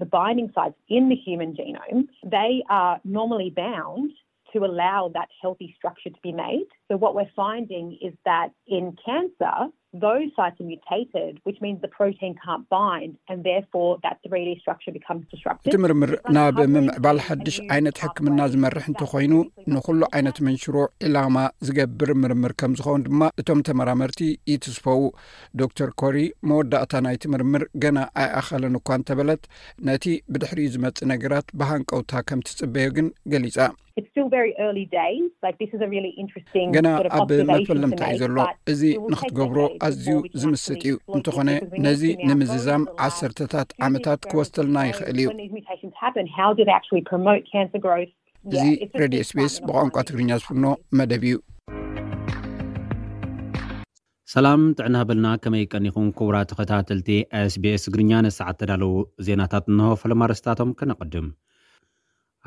The binding sites in the human genome, they are normally bound to allow that healthy structure to be made. So what we're finding is that in cancer, those sites are mutated, which means the protein can't bind, and therefore that three D structure becomes disrupted. እቲ ምርምር ናብ ምምዕባል ሓድሽ ዓይነት ሕክምና ዝመርሕ እንተኾይኑ ንኹሉ ዓይነት መንሽሮ ዒላማ ዝገብር ምርምር ከም ዝኸውን ድማ እቶም ተመራመርቲ ይትስፈው። ዶክተር ኮሪ መወዳእታ ናይቲ ምርምር ገና ኣይኣኸለን እኳ እንተበለት ነቲ ብድሕሪኡ ዝመጽእ ነገራት ብሃንቀውታ ከም ትጽበዮ ግን ገሊጻ። It's still very early days. Like, this is a really interesting ገና sort of ኣብ observation to መፈለምታ እዩ make, ዘሎ። but እዚ it will take ንክትገብሮ decades ኣዝዩ before we can ዝምስጥ actually እዩ። exploit this, እንተኾነ because we need ነዚ to now go ንምዝዛም into the lab, ዓሰርተታት do ዓመታት experiments ክወስደልና to know ይኽእል እዩ። when these mutations happen, how do they actually promote cancer growth? እዚ Yeah, it's just ሬድዮ been ኤስቢኤስ trialing ብቋንቋ and ትግርኛ ዝፍኖ መደብ እዩ። ሰላም ጥዕና በልና፣ ከመይ ቀኒኹም ክቡራት ተኸታተልቲ ኤስቢኤስ ትግርኛ? ንሰዓት ተዳለዉ ዜናታት እንሆ። ፈለማ ርእስታቶም ከነቐድም።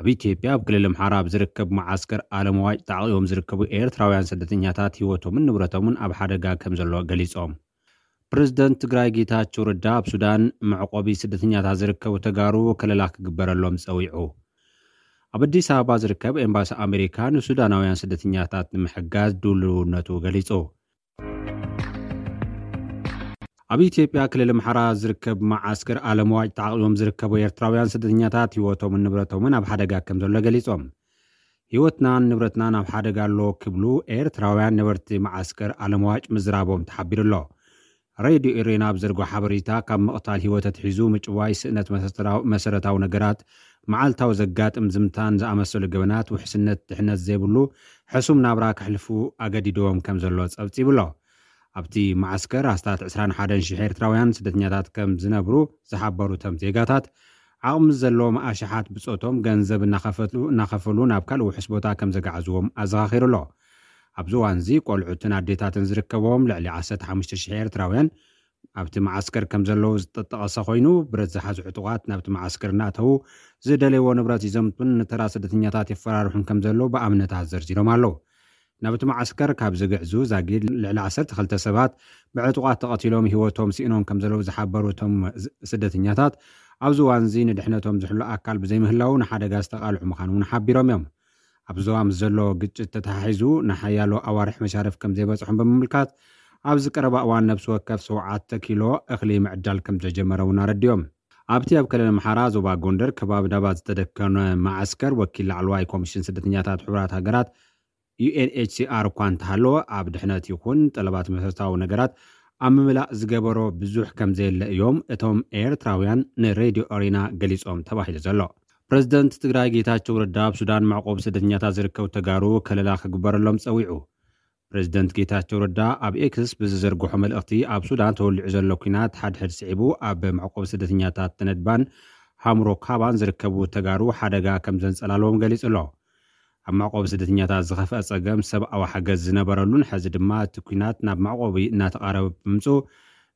ኣብ ኢትዮጵያ ኣብ ክልል ኣምሓራ ኣብ ዝርከብ መዓስከር ኣለምዋጭ ተዓቂቦም ዝርከቡ ኤርትራውያን ስደተኛታት ህይወቶምን ንብረቶምን ኣብ ሓደጋ ከም ዘሎ ገሊጾም። ፕሬዝደንት ትግራይ ጌታቸው ረዳ ኣብ ሱዳን መዕቆቢ ስደተኛታት ዝርከቡ ተጋሩ ከለላ ክግበረሎም ጸዊዑ። ኣብ ኣዲስ ኣበባ ዝርከብ ኤምባሲ ኣሜሪካ ንሱዳናውያን ስደተኛታት ንምሕጋዝ ድልውነቱ ገሊጹ። ኣብ ኢትዮጵያ ክልል ኣምሓራ ዝርከብ መዓስከር ኣለምዋጭ ተዓቂቦም ዝርከቡ ኤርትራውያን ስደተኛታት ህይወቶምን ንብረቶምን ኣብ ሓደጋ ከም ዘሎ ገሊጾም። ህይወትናን ንብረትናን ኣብ ሓደጋ ኣሎ ክብሉ ኤርትራውያን ነበርቲ መዓስከር ኣለምዋጭ ምዝራቦም ተሓቢሩ ኣሎ። ሬድዮ ኤሬና ኣብ ዘርጎ ሓበሬታ ካብ ምቕታል ህይወት ኣትሒዙ ምጭዋይ፣ ስእነት መሰረታዊ፣ መሰረታዊ ነገራት፣ መዓልታዊ ዘጋጥም ዝምታን ዝኣመሰሉ ገበናት ውሕስነት ድሕነት ዘይብሉ ሕሱም ናብራ ከሕልፉ ኣገዲድዎም ከም ዘሎ ጸብጺቡ ኣሎ። ኣብቲ መዓስከር ኣስታት ዕስራን ሓደን ሽሕ ኤርትራውያን ስደተኛታት ከም ዝነብሩ ዝሓበሩ እቶም ዜጋታት፣ ዓቕሚ ዘለዎም ኣሽሓት ብጾቶም ገንዘብ እናኸፈሉ፣ እናኸፈሉ ናብ ካልእ ውሑስ ቦታ ከም ዘጋዕዝዎም ኣዘኻኺሩ ኣሎ። ኣብዚ እዋን እዚ ቆልዑትን ኣዴታትን ዝርከብዎም ልዕሊ ዓሰርተ ሓሙሽተ ሽሕ ኤርትራውያን ኣብቲ መዓስከር ከም ዘለዉ ዝጠጠቐሰ ኮይኑ፣ ብረት ዝሓዙ ዕጡቓት ናብቲ መዓስከር እናእተዉ ዝደለይዎ ንብረት ይዘምቱን ንተራ ስደተኛታት የፈራርሑን ከም ዘለዉ ብኣብነታት ዘርዚሮም ኣለዉ። ናብቲ መዓስከር ካብ ዝግዕዙ ዛጊድ ልዕሊ ዓሰርተ ክልተ ሰባት ብዕጡቓት ተቐቲሎም ህይወቶም ስኢኖም ከም ዘለዉ ዝሓበሩ እቶም ዝ-፣ ስደተኛታት፣ ኣብዚ እዋን እዚ ንድሕነቶም ዝሕሉ ኣካል ብዘይምህላው ንሓደጋ ዝተቓልዑ ምዃኑ እውን ሓቢሮም እዮም። ኣብ ዞባ ምስ ዘሎ ግጭት ተተሓሒዙ ንሓያሎ ኣዋርሕ መሻርፍ ከም ዘይበፅሖም ብምምልካት፣ ኣብዚ ቀረባ እዋን ነፍሲ ወከፍ ሸውዓተ ኪሎ እኽሊ ምዕዳል ከም ዝተጀመረ እውን ኣረዲኦም። ኣብቲ ኣብ ክልል ኣምሓራ ዞባ ጎንደር ከባቢ ዳባት ዝተደከነ መዓስከር ወኪል ላዕለዋይ ኮሚሽን ስደተኛታት ሕቡራት ሃገራት ዩ ኤን ኤች ሲ ኣር እኳ እንተሃለወ፣ ኣብ ድሕነት ይኹን ጠለባት መሰረታዊ ነገራት ኣብ ምምላእ ዝገበሮ ብዙሕ ከም ዘየለ እዮም እቶም ኤርትራውያን ንሬድዮ ኦሪና ገሊጾም ተባሂሉ ዘሎ። ፕረዚደንት ትግራይ ጌታቸው ረዳ ኣብ ሱዳን መዕቆብ ስደተኛታት ዝርከቡ ተጋሩ ከለላ ክግበረሎም ጸዊዑ። ፕረዚደንት ጌታቸው ረዳ ኣብ ኤክስ ብዝዘርግሖ መልእኽቲ፣ ኣብ ሱዳን ተወሊዑ ዘሎ ኲናት ሓድሕድ ስዒቡ ኣብ መዕቆብ ስደተኛታት ተነድባን ሃምሮ ካባን ዝርከቡ ተጋሩ ሓደጋ ከም ዘንጸላለዎም ገሊጹ ኣሎ። ኣብ መዕቆቢ ስደተኛታት ዝኸፍአ ጸገም ሰብኣዊ ሓገዝ ዝነበረሉን፣ ሕዚ ድማ እቲ ኲናት ናብ መዕቆቢ እናተቓረበ ብምምጽኡ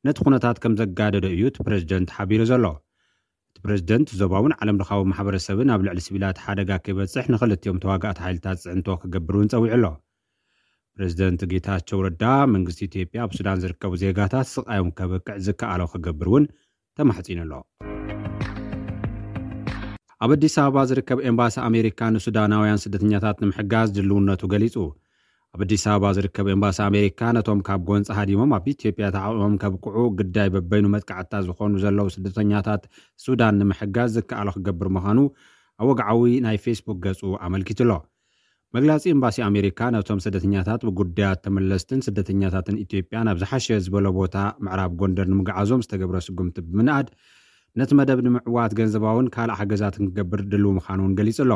ነቲ ኩነታት ከም ዘጋደዶ እዩ እቲ ፕረዚደንት ሓቢሩ ዘሎ። እቲ ፕረዚደንት ዞባውን ዓለም ለኻዊ ማሕበረሰብን ኣብ ልዕሊ ሲቪላት ሓደጋ ከይበጽሕ ንኽልቲኦም ተዋጋእቲ ሓይልታት ጽዕንቶ ክገብር እውን ጸዊዑ ኣሎ። ፕረዚደንት ጌታቸው ረዳ መንግስቲ ኢትዮጵያ ኣብ ሱዳን ዝርከቡ ዜጋታት ስቓዮም ከብቅዕ ዝከኣሎ ክገብር እውን ተማሕጺኑ ኣሎ። ኣብ ኣዲስ ኣበባ ዝርከብ ኤምባሲ ኣሜሪካ ንሱዳናውያን ስደተኛታት ንምሕጋዝ ድልውነቱ ገሊጹ። ኣብ ኣዲስ ኣበባ ዝርከብ ኤምባሲ ኣሜሪካ ነቶም ካብ ጎንፂ ሃዲሞም ኣብ ኢትዮጵያ ተዓቑቦም ከብቅዑ ግዳይ በበይኑ መጥቃዕታ ዝኾኑ ዘለዉ ስደተኛታት ሱዳን ንምሕጋዝ ዝከኣሎ ክገብር ምዃኑ ኣብ ወግዓዊ ናይ ፌስቡክ ገጹ ኣመልኪቱ ኣሎ። መግለጺ ኤምባሲ ኣሜሪካ ነቶም ስደተኛታት ብጉዳያት ተመለስትን ስደተኛታትን ኢትዮጵያ ናብ ዝሓሸ ዝበሎ ቦታ ምዕራብ ጎንደር ንምግዓዞም ዝተገብረ ስጉምቲ ብምንኣድ፣ ነቲ መደብ ንምዕዋት ገንዘባውን ካልእ ሓገዛትን ክገብር ድልው ምዃኑ እውን ገሊጹ ኣሎ።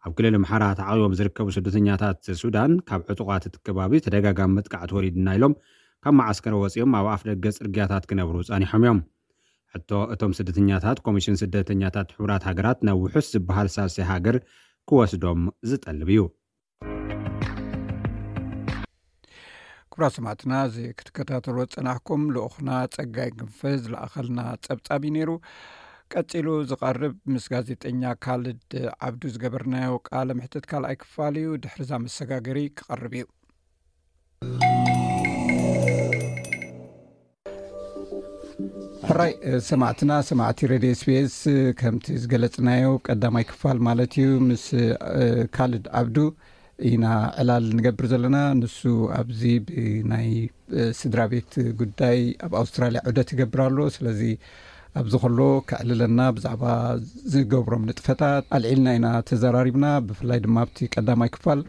ኣብ ክልል ኣምሓራ ተዓቑቦም ዝርከቡ ስደተኛታት ሱዳን፣ ካብ ዕጡቓት እቲ ከባቢ ተደጋጋሚ መጥቃዕቲ ወሪድና ኢሎም ካብ መዓስከር ወጺኦም ኣብ ኣፍ ደገ ጽርግያታት ክነብሩ ጸኒሖም እዮም። ሕቶ፣ እቶም ስደተኛታት ኮሚሽን ስደተኛታት ሕቡራት ሃገራት ናብ ውሑስ ዝበሃል ሳልሳይ ሃገር ክወስዶም ዝጠልብ እዩ። ክቡራት ሰማዕትና፣ እዚ ክትከታተልዎ ዝጸናሕኩም ልኡኽና ጸጋይ ክንፈ ዝለኣኸልና ጸብጻብ እዩ ነይሩ። ቀጺሉ ዝቐርብ ምስ ጋዜጠኛ ካልድ ዓብዱ ዝገበርናዮ ቃለ ምሕትት ካልኣይ ክፋል እዩ። ድሕሪ እዛ መሰጋገሪ ክቐርብ እዩ። ሕራይ ሰማዕትና፣ ሰማዕቲ ሬድዮ ኤስ ቢ ኤስ፣ ከምቲ ዝገለጽናዮ ቀዳማይ ክፋል ማለት እዩ፣ ምስ ካልድ ዓብዱ ኢና ዕላል ንገብር ዘለና። ንሱ ኣብዚ ብናይ ስድራ ቤት ጉዳይ ኣብ ኣውስትራልያ ዑደት ይገብር ኣሎ። ስለዚ ኣብዚ ከሎ ከዕልለና፣ ብዛዕባ ዝገብሮም ንጥፈታት ኣልዒልና ኢና ተዘራሪብና። ብፍላይ ድማ ኣብቲ ቀዳማይ ክፋል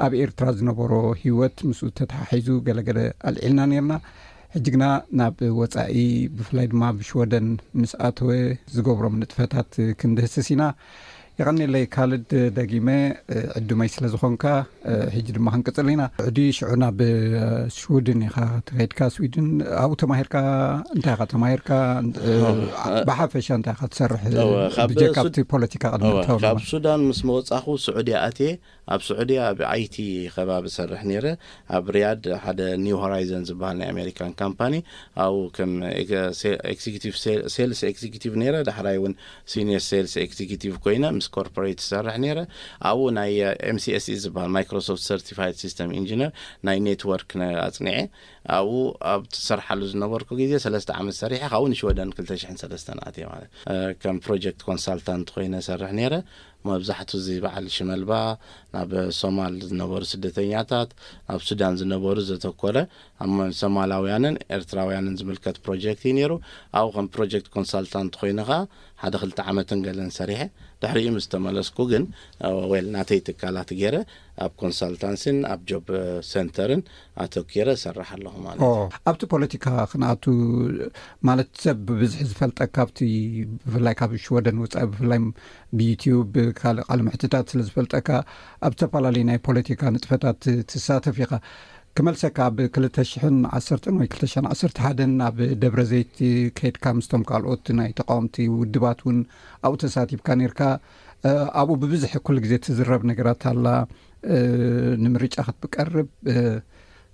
ኣብ ኤርትራ ዝነበሮ ህይወት ምስኡ ተተሓሒዙ ገለገለ ኣልዒልና ነርና። ሕጂ ግና ናብ ወጻኢ፣ ብፍላይ ድማ ኣብ ሽወደን ምስ ኣተወ ዝገብሮም ንጥፈታት ክንድህስስ ኢና። የቐንየለይ ካልድ፣ ደጊመ ዕዱመይ ስለ ዝኾንካ። ሕጂ ድማ ክንቅጽል ኢና። ዕዲ ሽዑ ናብ ሽውድን ኢኻ ትኸድካ፣ ስዊድን። ኣብኡ ተማሂርካ፣ እንታይ ኢኻ ተማሂርካ? ብሓፈሻ እንታይ ኢኻ ትሰርሕ? ብጀካ ኣብቲ ፖለቲካ ቅድሚ እወ፣ ካብ ሱዳን ምስ መወጻኹ ስዑድያ ኣትየ። ኣብ ስዑድያ ኣብ ኣይቲ ከባቢ ሰርሕ ነይረ። ኣብ ሪያድ ሓደ ኒው ሆራይዘን ዝበሃል ናይ ኣሜሪካን ካምፓኒ፣ ኣብኡ ከም ኤግዘ-፣ ሴ-፣ ኤግዚኪቲቭ ሴ-፣ ሴልስ ኤግዚኪቲቭ ነይረ። ዳሕራይ እውን ሲኒየር ሴልስ ኤግዚኪቲቭ ኮይነ ምስ ኮርፖሬት ዝሰርሕ ነይረ። ኣብኡ ናይ ኤም ሲ ኤስ ኢ ዝበሃል ማይክሮሶፍት ሰርቲፋይድ ሲስተም ኢንጂነር ናይ ኔትወርክ ነ-፣ ኣጽኒዐ። ኣብኡ ኣብ ትሰርሓሉ ዝነበርኩ ግዜ ሰለስተ ዓመት ሰሪሐ፣ ካብኡ ንሽወደን ክልተ ሽሕን ሰለስተን ኣትየ ማለት፣ እ፣ ከም ፕሮጀክት ኮንሳልታንት ኮይነ ሰርሕ ነይረ። መብዛሕቱ እዚ በዓል ሽመልባ ናብ ሶማል ዝነበሩ ስደተኛታት፣ ናብ ሱዳን ዝነበሩ ዘተኮረ፣ ኣብ ሶማላውያንን ኤርትራውያንን ዝምልከት ፕሮጀክት እዩ ነይሩ። ኣብኡ ከም ፕሮጀክት ኮንሳልታንት ኮይነ ኸኣ ሓደ ክልተ ዓመትን ገለን ሰሪሐ። ድሕሪኡ ምስ ተመለስኩ ግን፣ እ፣ ዌል፣ ናተይ ትካላት ገይረ ኣብ ኮንሳልታንሲን ኣብ ጆብ ሴንተርን ኣተኪረ እሰርሕ ኣለኹ ማለት ኦ፣ እዩ። ኣብቲ ፖለቲካ ክንኣቱ ማለት ሰብ ብብዝሒ ዝፈልጠካ ኣብቲ ብፍላይ ካብ ሽወደን ወጻኢ ብፍላይ ብዩትዩብ ካልእ ቃለ ምሕትታት ስለ ዝፈልጠካ ኣብ ዝተፈላለዩ ናይ ፖለቲካ ንጥፈታት ትሳተፍ ኢኻ። ክመልሰካ ኣብ ክልተ ሽሕን ዓሰርተን ወይ ክልተ ሽሕን ዓሰርተ ሓደን ኣብ ደብረ ዘይት ከይድካ ምስቶም ካልኦት ናይ ተቃወምቲ ውድባት እውን ኣብኡ ተሳቲፍካ ነርካ። እ፣ ኣብኡ ብብዝሒ ኩሉ ግዜ ትዝረብ ነገራት ኣላ። እ፣ ንምርጫ ክትቀርብ፣ እ፣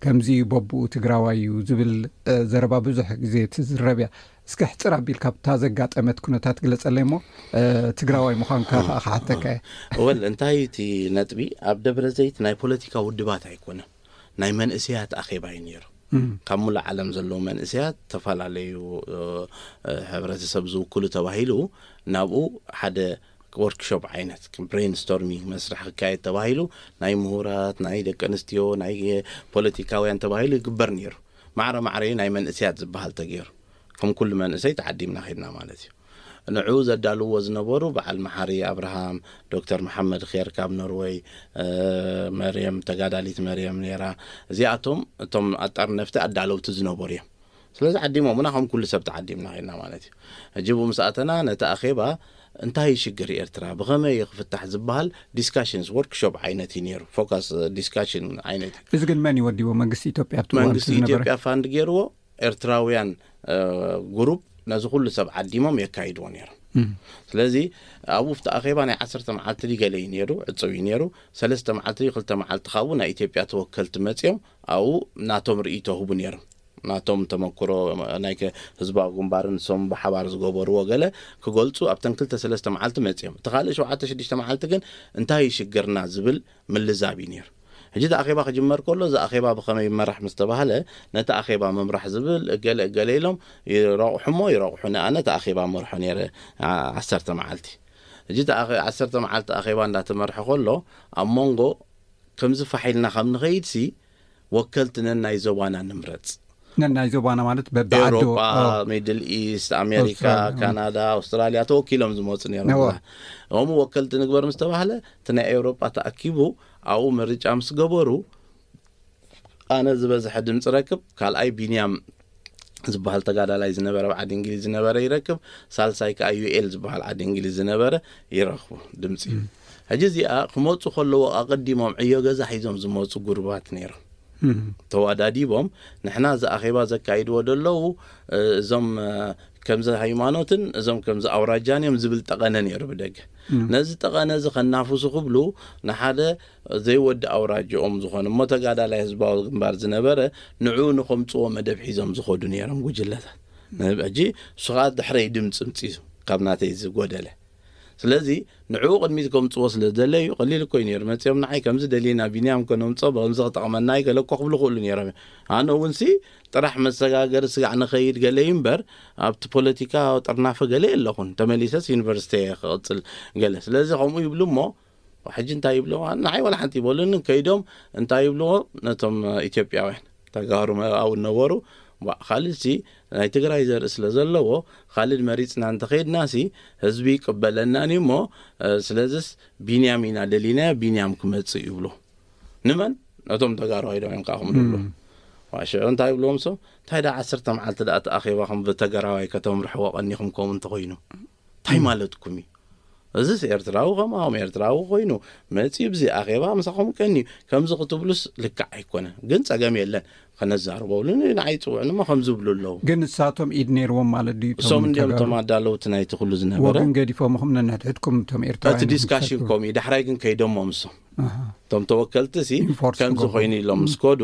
ከምዚ በብኡ ትግራዋይ እዩ ዝብል፣ እ፣ ዘረባ ብዙሕ ግዜ ትዝረብ እያ። እስከ ሕፅር ኣቢልካ ብታ ዘጋጠመት ኩነታት ግለፀለይ እሞ፣ እ፣ ትግራዋይ ምዃንካ እ፣ ከዓ ክሓተካ እየ። ወል፣ እንታይ እቲ ነጥቢ፣ ኣብ ደብረ ዘይት ናይ ፖለቲካ ውድባት ኣይኮነን፣ ናይ መንእሰያት ኣኼባ እዩ ነይሩ። ካብ ሙሉእ ዓለም ዘለዉ መንእሰያት፣ ዝተፈላለዩ ሕብረተሰብ ዝውክሉ ተባሂሉ ናብኡ ሓደ ወርክሾፕ ዓይነት ብሬንስቶርሚንግ መስርሕ ክካየድ ተባሂሉ፣ ናይ ምሁራት፣ ናይ ደቂ ኣንስትዮ፣ ናይ ፖለቲካውያን ተባሂሉ ይግበር ነይሩ። ማዕረ ማዕረዩ ናይ መንእሰያት ዝበሃል ተገይሩ፣ ከም ኩሉ መንእሰይ ተዓዲምና ኸድና ማለት እዩ። ንዕኡ ዘዳልዎ ዝነበሩ በዓል መሓሪ ኣብርሃም፣ ዶክተር መሓመድ ኼር ካብ ኖርወይ፣ መርየም፣ ተጋዳሊት መርየም ነይራ። እዚኣቶም እቶም ኣጣርነፍቲ ኣዳለውቲ ዝነበሩ እዮም። ስለዚ ዓዲሞምና ከም ኩሉ ሰብ ተዓዲምና ኸድና ማለት እዩ። ሕጂ ብኡ ምስ ኣተና ነቲ ኣኼባ እንታይ ሽግር ኤርትራ ብኸመይ ክፍታሕ ዝበሃል ዲስካሽንስ ወርክሾፕ ዓይነት እዩ ነይሩ። ፎካስ ዲስካሽን ዓይነት እዩ። እዚ ግን መን ይወዲዎ? መንግስቲ ኢትዮጵያ ኣብቲ እዋን መንግስቲ ዝነበረ? ኢትዮጵያ ፋንድ ገይርዎ ኤርትራውያን ግሩፕ ነዚ ኩሉ ሰብ ዓዲሞም የካይድዎ ነይሮም። ስለዚ ኣብኡ ኣብቲ ኣኼባ ናይ ዓሰርተ መዓልቲ ድዩ ገለ እዩ ነይሩ፣ ዕፅው እዩ ነይሩ። ሰለስተ መዓልቲ ድዩ ክልተ መዓልቲ ካብኡ ናይ ኢትዮጵያ ተወከልቲ መፂኦም ኣብኡ ናቶም ርእይቶ ህቡ ነይሮም። ናቶም ተመክሮ ናይ ከ- ህዝባዊ ግንባርን ንሶም ብሓባር ዝገበርዎ ገለ ክገልፁ ኣብተን ክልተ ሰለስተ መዓልቲ መፂኦም። እቲ ካልእ ሸውዓተ ሽዱሽተ መዓልቲ ግን እንታይ እዩ ሽግርና ዝብል ምልዛብ እዩ ነይሩ። ሕጂ እቲ ኣኼባ ክጅመር ከሎ እዚ ኣኼባ ብኸመይ ይመራሕ ምስ ተባህለ ነቲ ኣኼባ ምምራሕ ዝብል እገለ እገለ ኢሎም ይረቑሑ እሞ ይረቑሑ። ንኣነ እቲ ኣኼባ መርሖ ነይረ ዓ- ዓሰርተ መዓልቲ። ሕጂ እቲ ኣኸ- ዓሰርተ መዓልቲ ኣኼባ እንዳተመርሐ ከሎ ኣብ መንጎ ከምዚ ፋሕ ኢልና ካብ ንኸይድሲ ወከልቲ ነናይ ዞባና ንምረፅ። ነናይ ዞባና ማለት በብዓዱ ኤውሮጳ፣ ሚድል ኢስት፣ ኣሜሪካ፣ ኣውስትራልያ። ካናዳ፣ ኣውስትራልያ ተወኪሎም ዝመፁ ነይሮም። እዋ። እዛ- እሞ ወከልቲ ንግበር ምስ ተባህለ እቲ ናይ ኤውሮጳ ተኣኪቡ ኣብኡ ምርጫ ምስ ገበሩ ኣነ ዝበዝሐ ድምፂ ረክብ፣ ካልኣይ ቢንያም ዝበሃል ተጋዳላይ ዝነበረ ኣብ ዓዲ እንግሊዝ ዝነበረ ይረክብ፣ ሳልሳይ ከዓ ዩኤል ዝበሃል ዓዲ እንግሊዝ ዝነበረ ይረክቡ ድምፂ። ሕጂ እዚኣ ክመፁ ከለዎ ኣቐዲሞም ዕዮ ገዛ ሒዞም ዝመፁ ጉሩባት ነይሮም። ተወዳዲቦም ንሕና እዚ ኣኼባ ዘካይድዎ ዘለዉ እዞም ከምዚ ሃይማኖትን እዞም ከምዚ ኣውራጃን እዮም ዝብል ጠቐነ ነይሩ ብደገ። ነዚ ጠቐነ እዚ ከናፍሱ ክብሉ ንሓደ ዘይወዲ ኣውራጅኦም ዝኾነ እሞ ተጋዳላይ ህዝባዊ ግንባር ዝነበረ ንዕኡ ንኸምፅዎ መደብ ሒዞም ዝኸዱ ነይሮም ጉጅለታት። ሕጂ እሱ ከዓ ድሕረይ ድምፂ ምፂዙ ካብ ናተይ ዝጎደለ። ስለዚ ንዕኡ ቅድሚት ከምፅዎ ስለ ዝደለዩ ቀሊል እኮ እዩ ነይሩ። መፂኦም ንዓይ ከምዚ ደሊና ቢንያም ከነምፅኦ ብከምዚ ክጠቕመና እዩ ገለ እኮ ክብሉ ክእሉ ነይሮም እዮም። ኣነ እውን ሲ ጥራሕ መሰጋገሪ ስጋዕ ንኸይድ ገለ እዩ እምበር ኣብቲ ፖለቲካ ጥርናፈ ገለ የለኹን። ተመሊሰስ ዩኒቨርሲቲ እየ ክቕፅል ገለ። ስለዚ ከምኡ ይብሉ እሞ ሕጂ እንታይ ይብልዎ? ንዓይ ዋላ ሓንቲ ይበሉኒ። ከይዶም እንታይ ይብልዎ? ነቶም ኢትዮጵያውያን ተጋሩ ኣብኡ ነበሩ። ዋ፣ ካልድሲ ናይ ትግራይ ዘርኢ ስለ ዘለዎ ካልድ መሪፅና እንተኸይድናሲ ህዝቢ ይቅበለናን እዩ እሞ ስለዚስ ቢንያም ኢና ደሊናዮ፣ ቢንያም ክመፅእ ይብሉ። ንመን? ነቶም ተጋሩ ኣይዶም እዮም ከዓ ከምኡ ዝብሉ። ዋ፣ ሽዑ እንታይ ይብልዎም? ሶ እንታይ ዳ ዓሰርተ መዓልቲ ዳ እቲ ኣኼባኹም ብተገራዋይ ከተምርሕዎ ቀኒኹም ከምኡ እንተኾይኑ እንታይ ማለትኩም እዩ? እዚስ ኤርትራዊ ከማኹም ኤርትራዊ ኮይኑ መፂኡ ብዚ ኣኼባ ምሳኹም ቀንዩ ከምዚ ክትብሉስ ልክዕ ኣይኮነን። ግን ፀገም የለን ከነዛርበሉ ንዓይ ይፅውዕኒ እሞ ከምዚ ይብሉ ኣለዉ። ግን ንሳቶም ኢድ ነይርዎም ማለት ድዩ? እቶም እሶም እንዲኦም ተጋሩ? እቶም ኣዳለውቲ ናይቲ ኩሉ ዝነበረ። ወግን ገዲፎምኹም ነንሕድሕድኩም እቶም ኤርትራውያን እቲ ዲስካሽን ይሳተፉ። ከምኡ እዩ። ዳሕራይ ግን ከይዶሞም እሶም ኣሃ። እቶም ተወከልቲ ሲ ኢንፎርስ ከምዚ ክገብሩ። ኮይኑ ኢሎም ምስ ከዱ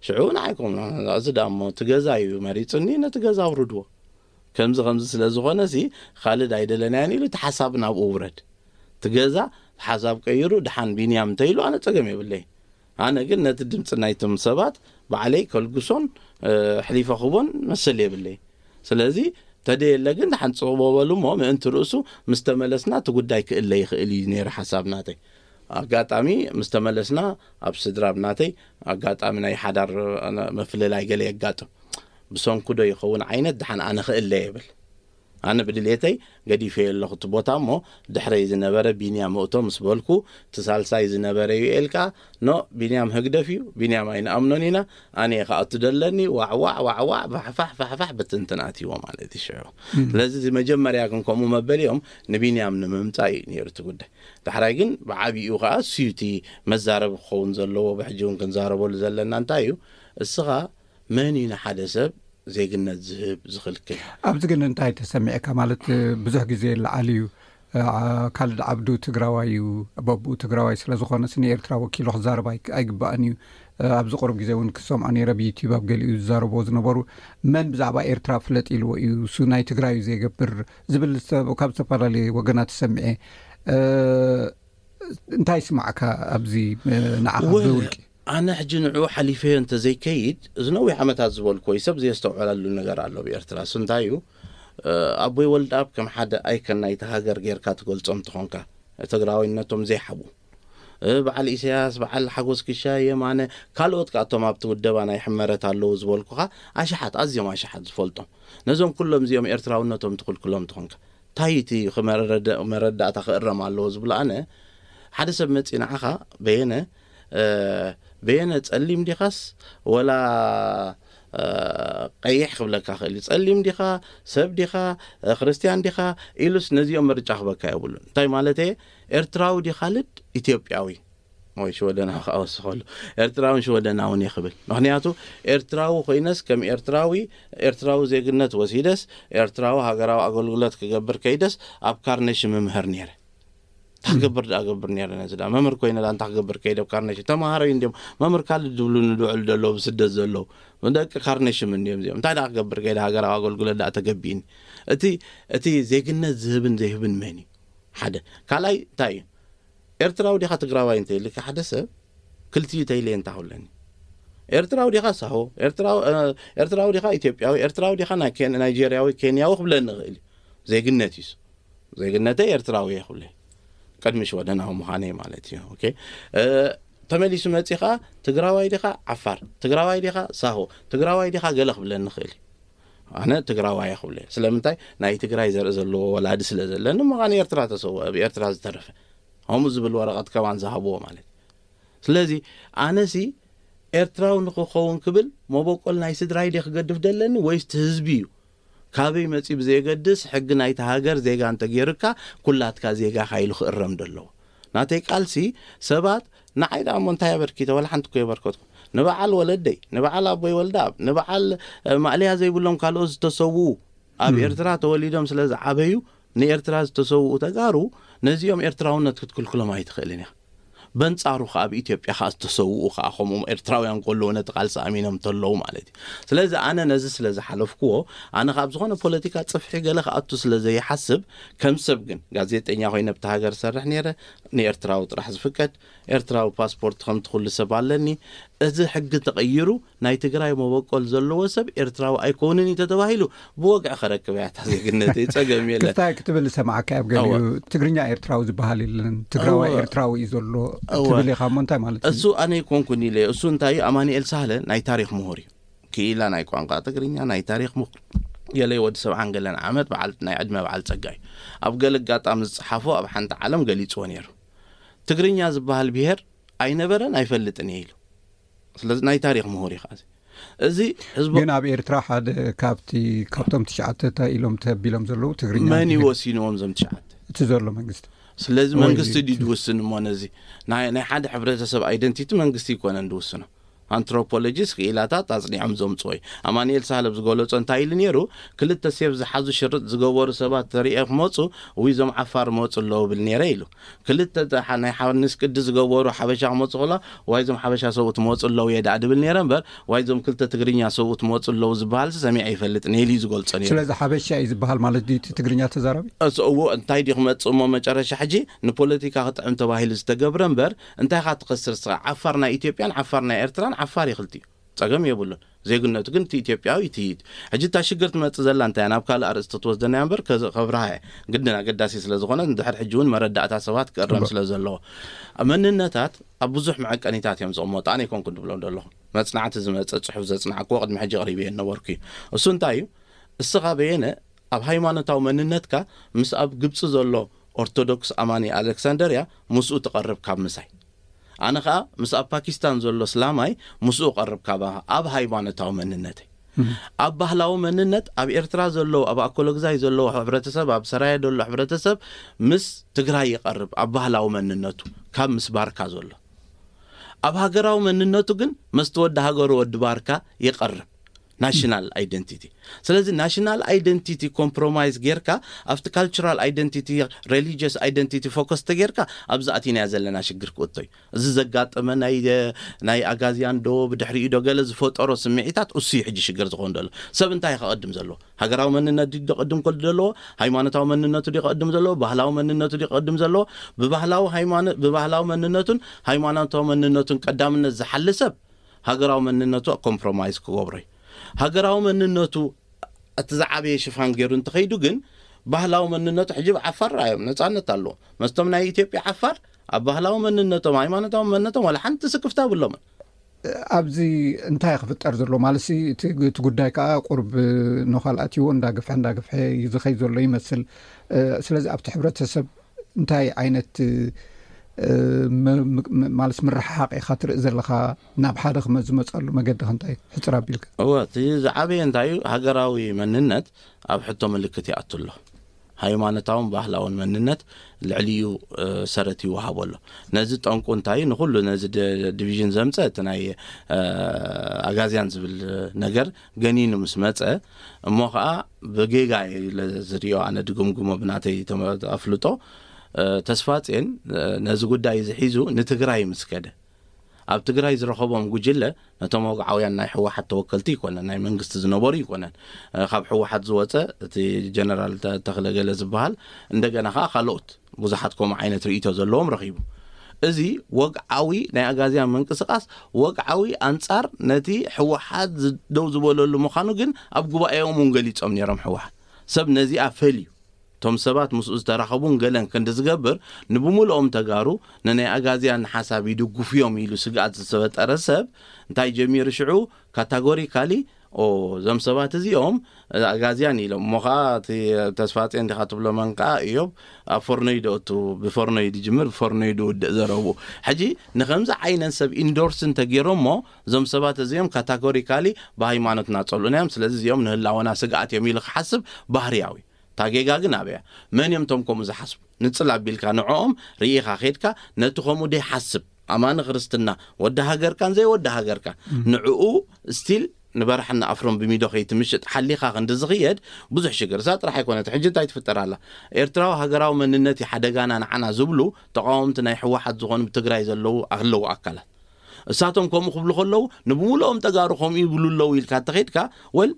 ሽዑ ንዓይ ኮም እዚ ዳሞ እቲ ገዛ እዩ መሪፅኒ ነቲ ገዛ ኣውርድዎ። ከምዚ ከምዚ ስለ ዝኾነ ሲ ካልድ ኣይደለናዮን ኢሉ እቲ ሓሳብ ናብኡ ውረድ። እቲ ገዛ ሓሳብ ቀይሩ ደሓን ቢንያም እንተኢሉ ኣነ ፀገም የብለይ። ኣነ ግን ነቲ ድምፂ ናይቶም ሰባት ባዕለይ ከልግሶን ኣሕሊፈ ክቦን መሰል የብለይ። ስለዚ ተደየለ ግን ደሓን ፅቕቦ በሉ እሞ ምእንቲ ርእሱ ምስ ተመለስና እቲ ጉዳይ ክእለ ይኽእል እዩ ነይሩ ሓሳብ ናተይ። ኣጋጣሚ ምስ ተመለስና ኣብ ስድራ ብናተይ ኣጋጣሚ ናይ ሓዳር ምፍልላይ ገለ የጋጥም። ብሰንኩ ዶ ይኸውን ዓይነት ደሓን ኣነ ክእለ የብል። ኣነ ብድሌተይ ገዲፈዮ ኣለኹ እቲ ቦታ እሞ ድሕረይ ዝነበረ ቢንያም እቶ ምስ በልኩ እቲ ሳልሳይ ዝነበረ ዩኤል ከዓ ኖ ቢንያም ህግደፍ እዩ፣ ቢንያም ኣይንኣምኖን ኢና፣ ኣነ እየ ክኣቱ ደለኒ ዋዕዋዕ ዋዕዋዕ ፋሕፋሕ ፋሕፋሕ ብትንትን ኣትይዎ ማለት እዩ ሽዑ። ስለዚ እዚ መጀመርያ ግን ከምኡ መበሊኦም ንቢንያም ንምምፃእ እዩ ነይሩ እቲ ጉዳይ። ዳሕራይ ግን ብዓብይኡ ከዓ እሱዩ እቲ መዛረቢ ክኸውን ዘለዎ ብሕጂ እውን ክንዛረበሉ ዘለና እንታይ እዩ እስኻ መን እዩ ንሓደ ሰብ ዜግነት ዝህብ ዝኽልክል? ኣብዚ ግን እንታይ ተሰሚዕካ ማለት ብዙሕ ግዜ ይለዓል እዩ። ካልድ ዓብዱ ትግራዋይ እዩ፣ በብኡ ትግራዋይ ስለ ዝኾነ ስኒ ኤርትራ ወኪሉ ክዛረብ ኣይግባእን እዩ። ኣብዚ ቅሩብ ግዜ እውን ክሰምዖ ነይረ ብዩቲዩብ ኣብ ገሊኡ ዝዛረብዎ ዝነበሩ መን ብዛዕባ ኤርትራ ፍለጥ ኢልዎ እዩ እሱ ናይ ትግራይ እዩ ዘይገብር ዝብል ካብ ዝተፈላለየ ወገናት ሰሚዐ። እንታይ ስማዕካ ኣብዚ ንዓኻ ብውልቂ? ኣነ ሕጂ ንዕኡ ሓሊፈዮ እንተዘይከይድ፣ እዚ ነዊሕ ዓመታት ዝበልኩዎ እዩ፣ ሰብ ዘየስተውዕለሉ ነገር ኣሎ ብኤርትራ። እሱ እንታይ እዩ? ኣቦይ ወልደኣብ ከም ሓደ ኣይከን ናይቲ ሃገር ጌርካ ትገልጾም ትኾንካ፣ ትግራዋይነቶም ዘይሓቡ፣ በዓል ኢሳያስ፣ በዓል ሓጎስ ክሻ፣ የማነ፣ ካልኦት ከኣቶም ኣብቲ ውደባ ናይ ሕመረት ኣለዉ ዝበልኩኻ ኣሽሓት፣ ኣዝዮም ኣሽሓት ዝፈልጦም፣ ነዞም ኩሎም እዚኦም ኤርትራውነቶም ትኽልክሎም ትኾንካ፣ እንታይ እቲ መረዳእታ ክእረም ኣለዎ ዝብሎ? ኣነ ሓደ ሰብ መፂ ንዓኻ፣ በየነ፣ በየነ፣ ጸሊም ዲኻስ ወላ ቀይሕ ክብለካ ክእል እዩ። ጸሊም ዲኻ፣ ሰብ ዲኻ፣ ክርስትያን ዲኻ ኢሉስ ነዚኦም ምርጫ ክበካ የብሉን። እንታይ ማለት እየ? ኤርትራዊ ዲኻ ልድ ኢትዮጵያዊ ወይ ሽወደናዊ ክኣወስኸሉ፣ ኤርትራውን ሽወደናውን እየ ክብል። ምክንያቱ ኤርትራዊ ኮይነስ ከም ኤርትራዊ፣ ኤርትራዊ ዜግነት ወሲደስ ኤርትራዊ ሃገራዊ ኣገልግሎት ክገብር ከይደስ ኣብ ካርነሽ ምምህር ነይረ። እንታይ ክገብር ደኣ ገብር ነይረ? ነዚ ደኣ መምህር ኮይነ ደኣ እንታይ ክገብር ከይደ ኣብ ካርነሽ? ተምሃሮ እዩ እንዲዮም መምህር ካልድ ዝብሉ ንድውዕሉ ዘለዉ ብስደት ዘለዉ ደቂ ካርነሽም እንዲዮም እዚኦም። እንታይ ደኣ ክገብር ከይደ ሃገራዊ ኣገልግሎት ደኣ ተገቢእኒ? እቲ እቲ ዜግነት ዝህብን ዘይህብን መን እዩ? ሓደ ካልኣይ እንታይ እዩ? ኤርትራዊ ዲኻ ትግራዋይ እንተ ኢልካ ሓደ ሰብ ክልቲኡ ተይለየ እንታ ክብለኒ? ኤርትራዊ ዲኻ ሳሆ? ኤርትራዊ እ፣ ኤርትራዊ ዲኻ ኢትዮጵያዊ? ኤርትራዊ ዲኻ ናይ ኬን ናይጄርያዊ ኬንያዊ ክብለኒ ይኽእል እዩ። ዜግነት እዩ። ዜግነተይ ኤርትራዊ እየ ክብለ ቅድሚ ሽወደናዊ ምዃነይ ማለት እዩ። ኦኬ። እ፣ ተመሊሱ መጺ ኸኣ ትግራዋይ ዲኻ ዓፋር? ትግራዋይ ዲኻ ሳሆ? ትግራዋይ ዲኻ ገለ ክብለኒ ይኽእል እዩ። ኣነ ትግራዋይ እየ ክብለ። ስለምንታይ? ናይ ትግራይ ዘርኢ ዘለዎ ወላዲ ስለ ዘለኒ፣ ምዃኑ ኤርትራ ተሰውአ፣ ኣብ ኤርትራ ዝተረፈ። ከምኡ ዝብል ወረቐት ከማን ዝሃብዎ ማለት። ስለዚ ኣነሲ ኤርትራዊ ንክኸውን ክብል መበቆል ናይ ስድራይ ድየ ክገድፍ ደለኒ ወይስ እቲ ህዝቢ እዩ? ካበይ መጺ ብዘየገድስ ሕጊ ናይቲ ሃገር ዜጋ እንተገይሩካ ኩላትካ ዜጋኻ ኢሉ ክእረም ደለዎ። ናተይ ቃልሲ ሰባት ንዓይ ደኣ እሞ እንታይ ኣበርኪተ ወላ ሓንቲ እኮ የበርከትኩ። ንበዓል ወለደይ፣ ንበዓል ኣቦይ ወልደኣብ፣ ንበዓል እ፣ ማእለያ ዘይብሎም ካልኦት ዝተሰውኡ ኣብ ም። ኤርትራ ተወሊዶም ስለ ዝዓበዩ ንኤርትራ ዝተሰውኡ ተጋሩ ነዚኦም ኤርትራውነት ክትክልክሎም ኣይትኽእልን ኢኻ። በንጻሩ ከኣ ኣብ ኢትዮጵያ ከኣ ዝተሰውኡ ከኣ ከምኦም ኤርትራውያን ከለዉ ነቲ ቃልሲ ኣሚኖም ተለዉ ማለት እዩ። ስለዚ ኣነ ነዚ ስለ ዝሓለፍክዎ ኣነ ካብ ዝኾነ ፖለቲካ ጽፍሒ ገለ ክኣቱ ስለ ዘይሓስብ ከም ሰብ ግን ጋዜጠኛ ኮይነ ኣብቲ ሃገር ሰርሕ ነይረ። ንኤርትራዊ ጥራሕ ዝፍቀድ ኤርትራዊ ፓስፖርት ከምቲ ኩሉ ሰብ ኣለኒ። እዚ ሕጊ ተቐይሩ ናይ ትግራይ መበቆል ዘለዎ ሰብ ኤርትራዊ ኣይኮንን እዩ ተተባሂሉ ብወግዒ ከረክብ እያ እታ ዜግነተይ። ጸገም የለን። ክስታይ ክትብል ሰማዕካ ኣብ ገሊኡ እወ። ትግርኛ ኤርትራዊ ዝበሃል የለን፣ ትግራዋይ እወ። ኤርትራዊ እዩ ዘሎ እወ። ትብል ኢኻ እሞ እንታይ ማለት እዩ? እሱ ኣነ ኣይኮንኩን ኢለ እየ። እሱ እንታይ እዩ? ኣማኑኤል ሳህለ ናይ ታሪኽ ምሁር እዩ። ክኢላ ናይ ቋንቋ ትግርኛ ናይ ታሪኽ ምሁር ገለ ወዲ ሰብዓን ገለን ዓመት በዓል ናይ ዕድመ በዓል ጸጋ እዩ። ኣብ ገለ ኣጋጣሚ ዝጸሓፎ ኣብ ሓንቲ ዓለም ገሊጽዎ ነይሩ። ትግርኛ ዝበሃል ብሄር ኣይነበረን ኣይፈልጥን እየ ኢሉ። ስለዚ ናይ ታሪኽ ምሁር እዩ ከኣ እዚ። እዚ ህዝቡ ግን ኣብ ኤርትራ ሓደ ካብቲ ካብቶም ትሽዓተ እንታይ ኢሎም ተቢሎም ዘለዉ ትግርኛ መን እዩ እንዲህ ወሲንዎም እዞም ትሽዓተ? እቲ ዘሎ መንግስቲ። ስለዚ ወይ መንግስቲ ድዩ እቲ ዝውስን እሞ ነዚ ናይ ናይ ሓደ ሕብረተሰብ ኣይደንቲቲ መንግስቲ ይኮነን ዝውስኖ። ኣንትሮፖሎጂስት ክኢላታት ኣጽኒዖም ዘምጽኦ እዩ። ኣማኑኤል ሳህለ ኣብ ዝገለጾ እንታይ ኢሉ ነይሩ? ክልተ ሴፍ ዝሓዙ ሽርጥ ዝገበሩ ሰባት ተሪኤ ክመጹ ወይ እዞም ዓፋር መጹ ኣለዉ ብል ነይረ ኢሉ። ክልተ ተ- ናይ ሓንስ ቅዲ ዝገበሩ ሓበሻ ክመጹ ከሎ ዋይ እዞም ሓበሻ ሰብኡት መጹ ኣለዉ እየ ደኣ ድብል ነይረ እምበር ዋይ እዞም ክልተ ትግርኛ ሰብኡት መጹ ኣለዉ ዝበሃል ሰሚዐ ይፈልጥ ነይሉ እዩ ዝገልጾ ነይሩ። ስለዚ ሓበሻ እዩ ዝበሃል ማለት ድዩ እቲ ትግርኛ ተዛራቢ? እሱ እዎ እንታይ ድዩ ክመጽእ እሞ መጨረሻ ሕጂ ንፖለቲካ ክጥዕም ተባሂሉ ዝተገብረ እምበር እንታይ ኻ ትኸስር ስኻ ዓፋር ናይ ኢትዮጵያን ዓፋር ናይ ኤርትራን ዓፋር ይኽልቲ እዩ። ጸገም የብሉን። ዜግነቱ ግን እቲ ኢትዮጵያዊ እቲ እዩ። ሕጂ እታ ሽግር ትመጽእ ዘላ እንታይ እያ? ናብ ካልእ ኣርእስቲ ትወስደና እያ እምበር ከዚ ከብርሃ እየ። ግድን ኣገዳሲ ስለ ዝኾነ ንድሕር ሕጂ እውን መረዳእታ ሰባት ክእረም ጽቡቅ። ስለ ዘለዎ። መንነታት ኣብ ብዙሕ መዐቀኒታት እዮም ዝቕመጡ። ኣነ ይኮንኩ ድብሎም ዘለኹ። መጽናዕቲ ዝመጸ ጽሑፍ ዘጽናዕክዎ ቅድሚ ሕጂ ኣቕሪበዮ ነበርኩ እዩ። እሱ እንታይ እዩ? እስኻ በየነ ኣብ ሃይማኖታዊ መንነትካ ምስ ኣብ ግብጺ ዘሎ ኦርቶዶክስ ኣማኒ ኣሌክሳንደርያ ምስኡ ትቐርብ ካብ ምሳይ። ኣነ ኸኣ ምስ ኣብ ፓኪስታን ዘሎ እስላማይ ምስኡ ቀርብ ካብ ኣብ ሃይማኖታዊ መንነተይ። እም። ኣብ ባህላዊ መንነት ኣብ ኤርትራ ዘለዉ፣ ኣብ ኣኮሎግዛይ ዘለዉ ሕብረተሰብ፣ ኣብ ሰራየ ዘሎ ሕብረተሰብ ምስ ትግራይ ይቐርብ ኣብ ባህላዊ መንነቱ ካብ ምስ ባርካ ዘሎ። ኣብ ሃገራዊ መንነቱ ግን መስቲ ወዲ ሃገሩ ወዲ ባርካ ይቐርብ። ናሽናል ኣይደንቲቲ። ስለዚ ናሽናል ኣይደንቲቲ ኮምፕሮማይዝ ጌርካ ኣብቲ ካልቸራል ኣይደንቲቲ፣ ሬሊጂየስ ኣይደንቲቲ ፎከስ ተጌርካ ኣብዚ ኣቲናያ ዘለና ሽግር ክእቶ እዩ። እዚ ዘጋጠመ ናይ ናይ ኣጋዝያን ዶ ብድሕሪኡ ዶ ገለ ዝፈጠሮ ስምዒታት እሱ እዩ ሕጂ ሽግር ዝኾን ዘሎ። ሰብ እንታይ ከቐድም ዘለዎ? ሃገራዊ መንነት ድዩ ደቐድም ከሎ ዘለዎ? ሃይማኖታዊ መንነቱ ድዩ ከቐድም ዘለዎ? ባህላዊ መንነቱ ድዩ ከቐድም ዘለዎ? ብባህላዊ ሃይማኖት ብባህላዊ መንነቱን ሃይማኖታዊ መንነቱን ቀዳምነት ዝሓሊ ሰብ ሃገራዊ መንነቱ ኮምፕሮማይዝ ክገብሮ እዩ። ሃገራዊ መንነቱ እቲ ዝዓበየ ሽፋን ገይሩ እንተኸይዱ ግን ባህላዊ መንነቱ ሕጂ ብዓፋር ራዮም ነፃነት ኣለዎ። መስቶም ናይ ኢትዮጵያ ዓፋር ኣብ ባህላዊ መንነቶም፣ ሃይማኖታዊ መንነቶም ዋላ ሓንቲ ስክፍታ ብሎምን። ኣብዚ እንታይ ክፍጠር ዘሎ ማለት ሲ እቲ እቲ ጉዳይ ከዓ ቁርብ ንኻልኣት ይዎ እንዳግፍሐ እንዳግፍሐ እዩ ዝኸይ ዘሎ ይመስል። ስለዚ ኣብቲ ሕብረተሰብ እንታይ ዓይነት ማለት ምርሕሓቕ ኢኻ ትርኢ ዘለኻ? ናብ ሓደ ክመ ዝመፀሉ መገዲ እንታይ ሕፅር ኣቢልካ? እወ፣ እቲ ዝዓበየ እንታይ እዩ? ሃገራዊ መንነት ኣብ ሕቶ ምልክት ይኣቱ ኣሎ። ሃይማኖታውን ባህላውን መንነት ልዕሊኡ ሰረት ይወሃቦ ኣሎ። ነዚ ጠንቁ እንታይ እዩ? ንኩሉ ነዚ ዲቪዥን ዘምፀ እቲ ናይ ኣጋዝያን ዝብል ነገር ገኒኑ ምስ መፀ፣ እሞ ከዓ ብጌጋ ዝሪኦ ኣነ ድግምግሞ ብናተይ ኣፍልጦ፣ ተስፋፅን ነዚ ጉዳይ እዚ ሒዙ ንትግራይ ምስ ከደ፣ ኣብ ትግራይ ዝረኸቦም ጉጅለ ነቶም ወግዓውያን ናይ ህወሓት ተወከልቲ ይኮነን፣ ናይ መንግስቲ ዝነበሩ ይኮነን። ካብ ህወሓት ዝወፀ እቲ ጀነራል ተኽለ ገለ ዝበሃል፣ እንደገና ከዓ ካልኦት ብዙሓት ከምኡ ዓይነት ርእይቶ ዘለዎም ረኺቡ። እዚ ወግዓዊ ናይ ኣጋዝያን ምንቅስቃስ ወግዓዊ ኣንጻር ነቲ ህወሓት ደው ዝበለሉ ምዃኑ ግን ኣብ ጉባኤኦም እውን ገሊጾም ነይሮም። ህወሓት ሰብ ነዚኣ ፈልዩ እቶም ሰባት ምስኡ ዝተራኸቡን ገለን ክንዲ ዝገብር፣ ንብምልኦም ተጋሩ ንናይ ኣጋዝያን ሓሳብ ይድግፉ እዮም ኢሉ ስግኣት ዝፈጠረ ሰብ እንታይ ጀሚሩ ሽዑ? ካታጎሪካሊ ኦ፣ እዞም ሰባት እዚኦም ኣጋዝያን ኢሎም እሞ ከዓ እቲ ተስፋፅዮን እንዲኻ ትብሎ መን ከዓ እዮብ ኣብ ፈርኖይ ደእቱ ብፈርኖይ ድጅምር ብፈርኖይ ድውድእ ዘረቡ። ሕጂ ንከምዚ ዓይነት ሰብ ኢንዶርስ እንተገይሮሞ እዞም ሰባት እዚኦም ካታጎሪካሊ ብሃይማኖትና ፀልኡና እዮም፣ ስለዚ እዚኦም ንህላወና ስግኣት እዮም ኢሉ ክሓስብ ባህርያዊ። ታጌጋ ግን ኣበያ መን እዮም ቶም ከምኡ ዝሓስቡ? ንፅል ኣቢልካ ንዕኦም ርኢኻ ኬድካ ነቲ ከምኡ ደይሓስብ ኣማኒ ክርስትና ወዲ ሃገርካን ዘይወዲ ሃገርካን ንዕኡ ስቲል ንበረሕን ኣፍሮን ብሚዶ ከይትምሽጥ ሓሊኻ ክንዲ ዝኽየድ ብዙሕ ሽግር እሳ ጥራሕ ኣይኮነት። ሕጂ እንታይ ትፍጠር ኣላ? ኤርትራዊ ሃገራዊ መንነት እዩ ሓደጋና ንዓና ዝብሉ ተቃወምቲ ናይ ህወሓት ዝኾኑ ብትግራይ ዘለዉ ኣለዉ ኣካላት እሳቶም ከምኡ ክብሉ ከለዉ ንብምልኦም ተጋሩ ከምኡ ይብሉ ኣለዉ ኢልካ ተኸይድካ ወል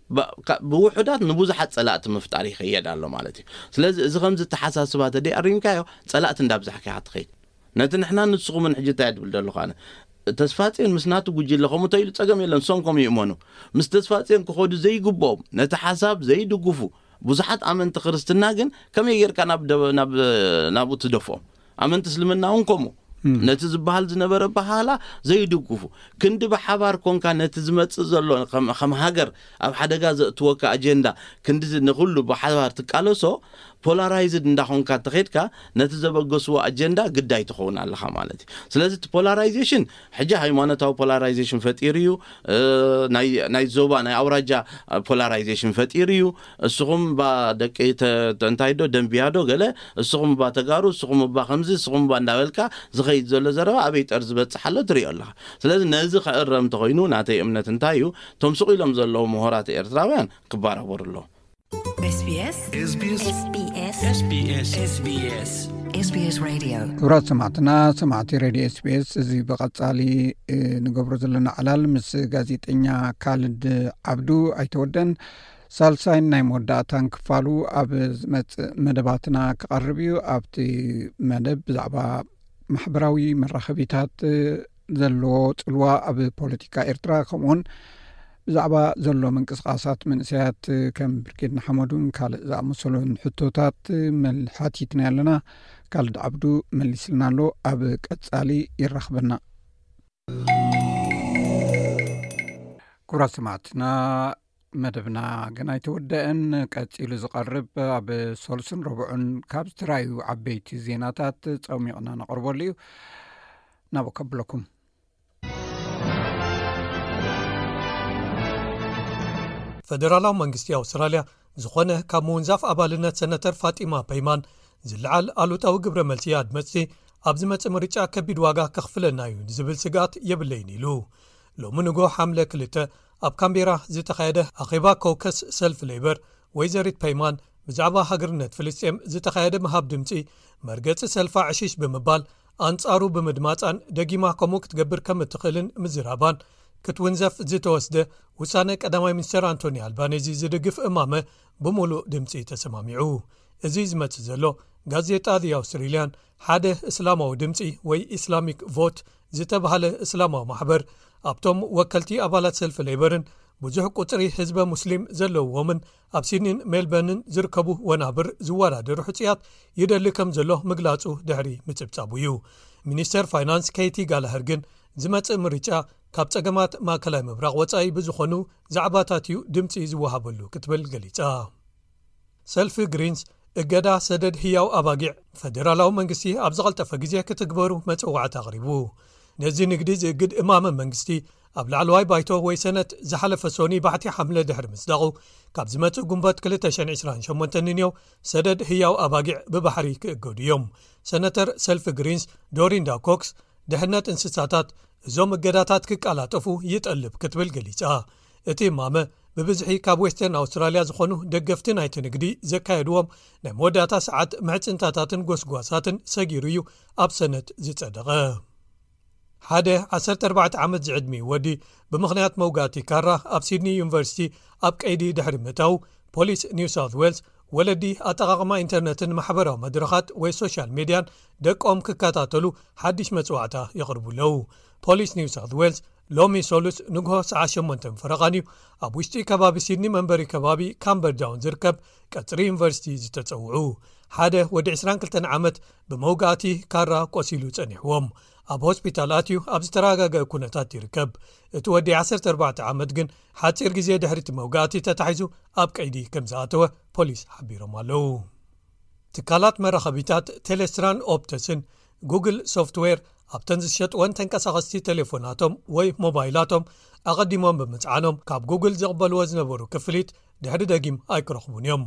ብውሑዳት ንብዙሓት ፀላእቲ ምፍጣር ይኸየድ ኣሎ ማለት እዩ። ስለዚ እዚ ከምዚ ተሓሳስባ ተደይ ኣሪምካዮ ፀላእቲ እንዳብዛሕካ ኢኻ ትኸይድ። ነቲ ንሕና ንስኹምን ሕጂ እንታይ ድብል ዘለኹ ኣነ ተስፋፅዮን ምስ ናቱ ጉጅለ ከምኡ ተኢሉ ፀገም የለን። ንሶም ከምኡ ይእመኑ። ምስ ተስፋፅዮን ክኸዱ ዘይግብኦም ነቲ ሓሳብ ዘይድግፉ ብዙሓት ኣመንቲ ክርስትና ግን ከመይ ጌርካ ናብ ናብኡ ትደፍኦም? ኣመንቲ እስልምና እውን ከምኡ ነቲ ዝበሃል ዝነበረ በሃላ ዘይድግፉ ክንዲ ብሓባር ኮንካ ነቲ ዝመፅእ ዘሎ ከም ሃገር ኣብ ሓደጋ ዘእትወካ ኣጀንዳ ክንዲ ንኩሉ ብሓባር ትቃለሶ ፖላራይዝድ እንዳኾንካ ተኸድካ ነቲ ዘበገስዎ ኣጀንዳ ግዳይ ትኸውን ኣለኻ ማለት እዩ። ስለዚ እቲ ፖላራይዜሽን ሕጂ ሃይማኖታዊ ፖላራይዜሽን ፈጢሩ እዩ። ናይ ዞባ ናይ ኣውራጃ ፖላራይዜሽን ፈጢሩ እዩ። እስኹም ባ ደቂ እንታይ ዶ ደንብያ ዶ ገለ እስኹም ባ ተጋሩ እስኹም ባ ከምዚ እስኹም ባ እንዳበልካ ዝኸይድ ዘሎ ዘረባ ኣበይ ጠር ዝበፅሕ ኣሎ ትሪኦ ኣለኻ። ስለዚ ነዚ ከእረም እንተኮይኑ ናተይ እምነት እንታይ እዩ? እቶም ስቕ ኢሎም ዘለዉ ምሁራት ኤርትራውያን ክባራበሩ ኣለዎም። SBS SBS SBS SBS SBS SBS Radio። ክቡራት ሰማዕትና ሰማዕቲ ሬድዮ SBS፣ እዚ ብቐጻሊ ንገብሮ ዘለና ዕላል ምስ ጋዜጠኛ ካልድ ዓብዱ ኣይተወደን። ሳልሳይን ናይ መወዳእታን ክፋሉ ኣብ ዝመጽእ መደባትና ክቐርብ እዩ። ኣብቲ መደብ ብዛዕባ ማሕበራዊ መራኸቢታት ዘለዎ ጽልዋ ኣብ ፖለቲካ ኤርትራ ከምኡውን ብዛዕባ ዘሎ ምንቅስቃሳት መንእሰያት ከም ብርጌድ ንሓመዱን ካልእ ዝኣመሰሉን ሕቶታት ሓቲትና ኣለና። ካልድ ዓብዱ መሊስልና ኣሎ። ኣብ ቀጻሊ ይራኽበና። ክቡራት ሰማዕትና መደብና ግን ኣይተወደአን። ቀጺሉ ዝቐርብ ኣብ ሰሉስን ረቡዕን ካብ ዝተራዩ ዓበይቲ ዜናታት ጸሚቕና ነቕርበሉ እዩ። ናብ ከብለኩም። ፈደራላዊ መንግስቲ ኣውስትራልያ ዝኾነ ካብ ምውንዛፍ ኣባልነት ሰነተር ፋጢማ ፐይማን ዝለዓል ኣሉታዊ ግብረ መልሲ ኣድመፅቲ ኣብ ዝመፅእ ምርጫ ከቢድ ዋጋ ከኽፍለና እዩ ዝብል ስግኣት የብለይን ኢሉ። ሎሚ ንጎ ሓምለ ክልተ ኣብ ካምቤራ ዝተኻየደ ኣኼባ ኮከስ ሰልፍ ሌበር፣ ወይዘሪት ፔይማን ብዛዕባ ሃገርነት ፍልስጤም ዝተኻየደ ምሃብ ድምፂ መርገፂ ሰልፋ ዕሽሽ ብምባል፣ ኣንጻሩ ብምድማጻን ደጊማ ከምኡ ክትገብር ከም እትኽእልን ምዝራባን፣ ክትውንዘፍ ዝተወስደ ውሳነ ቀዳማይ ሚኒስተር ኣንቶኒ ኣልባኔዚ ዝድግፍ እማመ ብምሉእ ድምጺ ተሰማሚዑ። እዚ ዝመጽእ ዘሎ፣ ጋዜጣ The Australian ሓደ እስላማዊ ድምጺ ወይ ኢስላሚክ ቮት ዝተባህለ እስላማዊ ማሕበር ኣብቶም ወከልቲ ኣባላት ሰልፊ ሌበርን ብዙሕ ቁጽሪ ህዝበ ሙስሊም ዘለውዎምን ኣብ ሲድኒን ሜልበርንን ዝርከቡ ወናብር ዝወዳደሩ ሕጹያት ይደሊ ከም ዘሎ ምግላጹ ድሕሪ ምጽብጻቡ እዩ። ሚኒስተር ፋይናንስ ኬቲ ጋላሀር ግን ዝመጽእ ምርጫ ካብ ጸገማት ማእከላይ ምብራቕ ወጻኢ ብዝኾኑ ዛዕባታት እዩ ድምጺ ዝወሃበሉ ክትብል ገሊጻ። ሰልፊ ግሪንስ እገዳ ሰደድ ህያው ኣባጊዕ ፈደራላዊ መንግስቲ ኣብ ዝቐልጠፈ ግዜ ክትግበሩ መጸዋዕታ ኣቕሪቡ። ነዚ ንግዲ ዝእግድ እማመ መንግስቲ ኣብ ላዕለዋይ ባይቶ ወይ ሰነት ዝሓለፈ ሶኒ ባሕቲ ሓምለ ድሕሪ ምጽዳቑ፣ ካብ ዝመጽእ ጉንበት ክልተ ሽሕን ዕስራን ሸሞንተን ንንየው ሰደድ ህያው ኣባጊዕ ብባሕሪ ክእገዱ እዮም። ሰነተር ሰልፊ ግሪንስ ዶሪንዳ ኮክስ፣ ድሕነት እንስሳታት እዞም እገዳታት ክቀላጠፉ ይጠልብ ክትብል ገሊጻ። እቲ እማመ ብብዝሒ ካብ ዌስተርን ኣውስትራልያ ዝኾኑ ደገፍቲ ናይቲ ንግዲ ዘካየድዎም ናይ መወዳእታ ሰዓት ምሕጽንታታትን ጎስጓሳትን ሰጊሩ እዩ ኣብ ሰነት ዝጸደቐ። ሓደ ዓሰርተ ኣርባዕተ ዓመት ዝዕድሚኡ ወዲ ብምኽንያት መውጋእቲ ካራ ኣብ ሲድኒ ዩኒቨርሲቲ ኣብ ቀይዲ ድሕሪ ምእታዉ፣ ፖሊስ ኒው ሳውት ዌልስ ወለዲ ኣጠቓቕማ ኢንተርነትን ማሕበራዊ መድረኻት ወይ ሶሻል ሜድያን ደቆም ክከታተሉ ሓድሽ መጽዋዕታ የቕርቡ ኣለዉ። ፖሊስ ኒው ሳውት ዌልስ ሎሚ ሰሉስ ንግሆ ሰዓት ሸሞንተ ፈረቓን እዩ ኣብ ውሽጢ ከባቢ ሲድኒ መንበሪ ከባቢ ካምበርዳውን ዝርከብ ቀጽሪ ዩኒቨርሲቲ ዝተጸውዑ። ሓደ ወዲ ዕስራን ክልተን ዓመት ብመውጋእቲ ካራ ቆሲሉ ጸኒሕዎም ኣብ ሆስፒታል ኣትዩ ኣብ ዝተረጋገአ ኩነታት ይርከብ። እቲ ወዲ ዓሰርተ ኣርባዕተ ዓመት ግን ሓጺር ግዜ ድሕሪ እቲ መውጋእቲ ተታሒዙ ኣብ ቀይዲ ከም ዝኣተወ ፖሊስ ሓቢሮም ኣለዉ። ትካላት መራኸቢታት ቴሌስትራን ኦፕተስን ጉግል ሶፍትዌር ኣብተን ዝሸጥወን ተንቀሳቐስቲ ቴሌፎናቶም ወይ ሞባይላቶም ኣቐዲሞም ብምጽዓኖም ካብ ጉግል ዝቕበልዎ ዝነበሩ ክፍሊት ድሕሪ ደጊም ኣይክረኽቡን እዮም።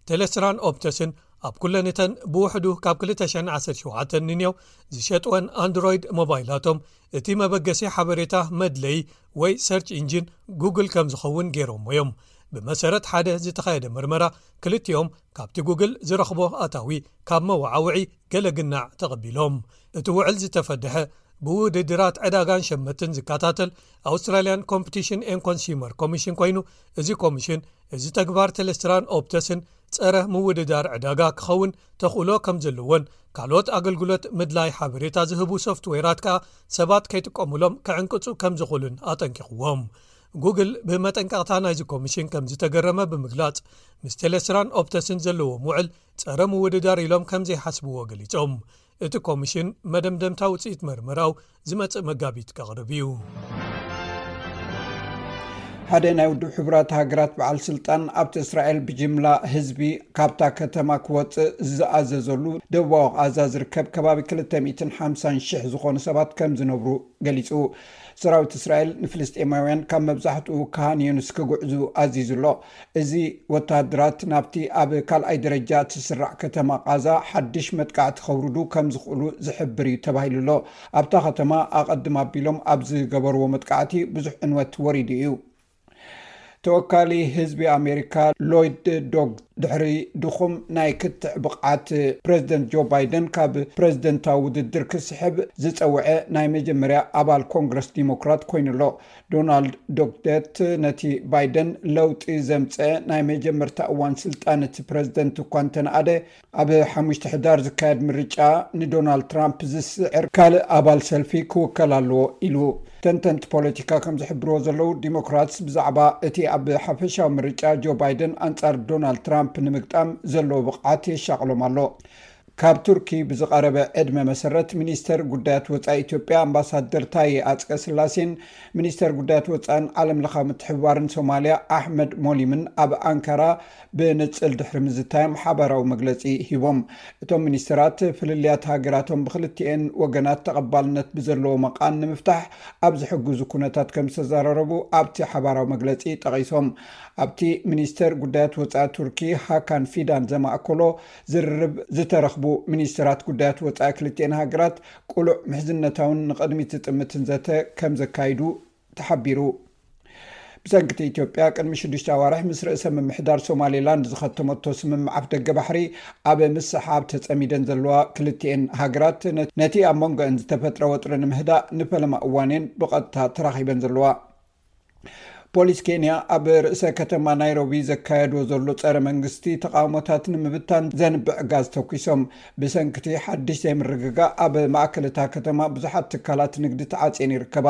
ቴሌስትራን ኦፕተስን ኣብ ኩለንተን ብውሕዱ ካብ ክልተ ሽሕን ዓሰርተ ሸውዓተን ንንየው ዝሸጥወን ኣንድሮይድ ሞባይላቶም እቲ መበገሲ ሓበሬታ መድለዪ ወይ ሰርች ኢንጂን ጉግል ከም ዝኸውን ገይሮሞ እዮም። ብመሰረት ሓደ ዝተኻየደ መርመራ ክልቲኦም ካብቲ ጉግል ዝረኽቦ ኣታዊ ካብ መወዓውዒ ገለ ግናዕ ተቐቢሎም። እቲ ውዕል ዝተፈደሐ ብውድድራት ዕዳጋን ሸመትን ዝከታተል ኣውስትራልያን ኮምፒቲሽን ኤን ኮንሱመር ኮሚሽን ኮይኑ፣ እዚ ኮሚሽን እዚ ተግባር ቴሌስትራን ኦፕተስን ጸረ ምውድዳር ዕዳጋ ክኸውን ተኽእሎ ከም ዘለዎን ካልኦት ኣገልግሎት ምድላይ ሓበሬታ ዝህቡ ሶፍትዌራት ከኣ ሰባት ከይጥቀሙሎም ክዕንቅጹ ከም ዝኽእሉን ኣጠንቂቕዎም። ጉግል ብመጠንቀቕታ ናይዚ ኮሚሽን ከም ዝተገረመ ብምግላጽ፣ ምስ ቴሌስትራን ኦፕተስን ዘለዎም ውዕል ጸረ ምውድዳር ኢሎም ከም ዘይሓስብዎ ገሊጾም። እቲ ኮሚሽን መደምደምታ ውጽኢት መርመራው ዝመጽእ መጋቢት ከቕርብ እዩ። ሓደ ናይ ውድብ ሕቡራት ሃገራት በዓል ስልጣን ኣብቲ እስራኤል ብጅምላ ህዝቢ ካብታ ከተማ ክወጽእ ዝኣዘዘሉ ደቡባዊ ቃዛ ዝርከብ ከባቢ ክልተ ሚእትን ሓምሳን ሽሕ ዝኾኑ ሰባት ከም ዝነብሩ ገሊጹ። ሰራዊት እስራኤል ንፍልስጤማውያን ካብ መብዛሕትኡ ካን ዩኒስ ክጉዕዙ ኣዚዙ ኣሎ። እዚ ወተሃደራት ናብቲ ኣብ ካልኣይ ደረጃ እትስራዕ ከተማ ቃዛ ሓድሽ መጥቃዕቲ ከውርዱ ከም ዝኽእሉ ዝሕብር እዩ ተባሂሉ ኣሎ። ኣብታ ከተማ ኣቐድም ኣቢሎም ኣብ ዝገበርዎ መጥቃዕቲ ብዙሕ ዕንወት ወሪዱ እዩ። ተወካሊ ህዝቢ ኣሜሪካ ሎይድ ዶግ ድሕሪ ድኹም ናይ ክትዕ ብቕዓት ፕሬዚደንት ጆ ባይደን ካብ ፕሬዚደንታዊ ውድድር ክስሕብ ዝጸውዐ ናይ መጀመርያ ኣባል ኮንግረስ ዲሞክራት ኮይኑ ኣሎ። ዶናልድ ዶግደት ነቲ ባይደን ለውጢ ዘምጸ ናይ መጀመርታ እዋን ስልጣን እቲ ፕሬዚደንት እኳ እንተነኣደ፣ ኣብ ሓሙሽተ ሕዳር ዝካየድ ምርጫ ንዶናልድ ትራምፕ ዝስዕር ካልእ ኣባል ሰልፊ ክውከል ኣለዎ ኢሉ። ተንተንቲ ፖለቲካ ከም ዝሕብርዎ ዘለዉ፣ ዲሞክራትስ ብዛዕባ እቲ ኣብ ሓፈሻዊ ምርጫ ጆ ባይደን ኣንጻር ዶናልድ ትራምፕ ንምግጣም ዘለዎ ብቕዓት የሻቕሎም ኣሎ። ካብ ቱርኪ ብዝቐረበ ዕድመ መሰረት፣ ሚኒስተር ጉዳያት ወጻኢ ኢትዮጵያ ኣምባሳደር ታዬ ኣጽቀ ስላሴን ሚኒስተር ጉዳያት ወጻእን ዓለም ለኻዊ ምትሕብባርን ሶማልያ ኣሕመድ ሞሊምን ኣብ ኣንካራ ብንጽል ድሕሪ ምዝታዮም ሓባራዊ መግለጺ ሂቦም። እቶም ሚኒስተራት ፍልልያት ሃገራቶም ብክልቲኤን ወገናት ተቐባልነት ብዘለዎ መቓን ንምፍታሕ ኣብ ዝሕግዙ ኩነታት ከም ዝተዘራረቡ ኣብቲ ሓባራዊ መግለጺ ጠቒሶም። ኣብቲ ሚኒስተር ጉዳያት ወጻኢ ቱርኪ ሃካን ፊዳን ዘማእከሎ ዝርርብ ዝተረኽቡ ሚኒስተራት ጉዳያት ወጻኢ ክልቲኤን ሃገራት ቅሉዕ ምሕዝነታውን ንቕድሚት ዝጥምትን ዘተ ከም ዘካይዱ ተሓቢሩ። ብሰንክቲ ኢትዮጵያ ቅድሚ ሽዱሽተ ኣዋርሕ ምስ ርእሰ ምምሕዳር ሶማሌላንድ ዝኸተመቶ ስምምዕ ኣፍደገ ባሕሪ ኣብ ምስሓብ ተጸሚደን ዘለዋ ክልቲኤን ሃገራት፣ ነቲ ኣብ መንጎአን ዝተፈጥረ ወጥሪ ንምህዳእ ንፈለማ እዋንየን ብቐጥታ ተራኺበን ዘለዋ። ፖሊስ ኬንያ ኣብ ርእሰ ከተማ ናይሮቢ ዘካየድዎ ዘሎ ጸረ መንግስቲ ተቃውሞታት ንምብታን ዘንብዕ ጋዝ ተኩሶም። ብሰንክቲ ሓድሽ ዘይምርግጋእ ኣብ ማእከል እታ ከተማ ብዙሓት ትካላት ንግዲ ተዓጽየን ይርከባ።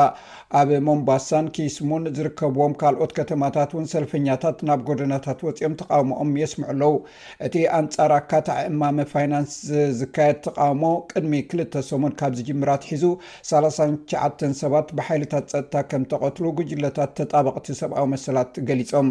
ኣብ ሞምባሳን ኪስሙን ዝርከብዎም ካልኦት ከተማታት እውን ሰልፈኛታት ናብ ጎደናታት ወጺኦም ተቃውሞኦም የስምዑ ኣለዉ። እቲ ኣንጻር ኣካታዒ እማመ ፋይናንስ ዝካየድ ተቃውሞ ቅድሚ ክልተ ሰሙን ካብ ዝጅምር ኣትሒዙ ሰላሳን ትሽዓተን ሰባት ብሓይልታት ጸጥታ ከም ተቐትሉ ጉጅለታት ተጣበቕቲ ሰብኣዊ መሰላት ገሊጾም።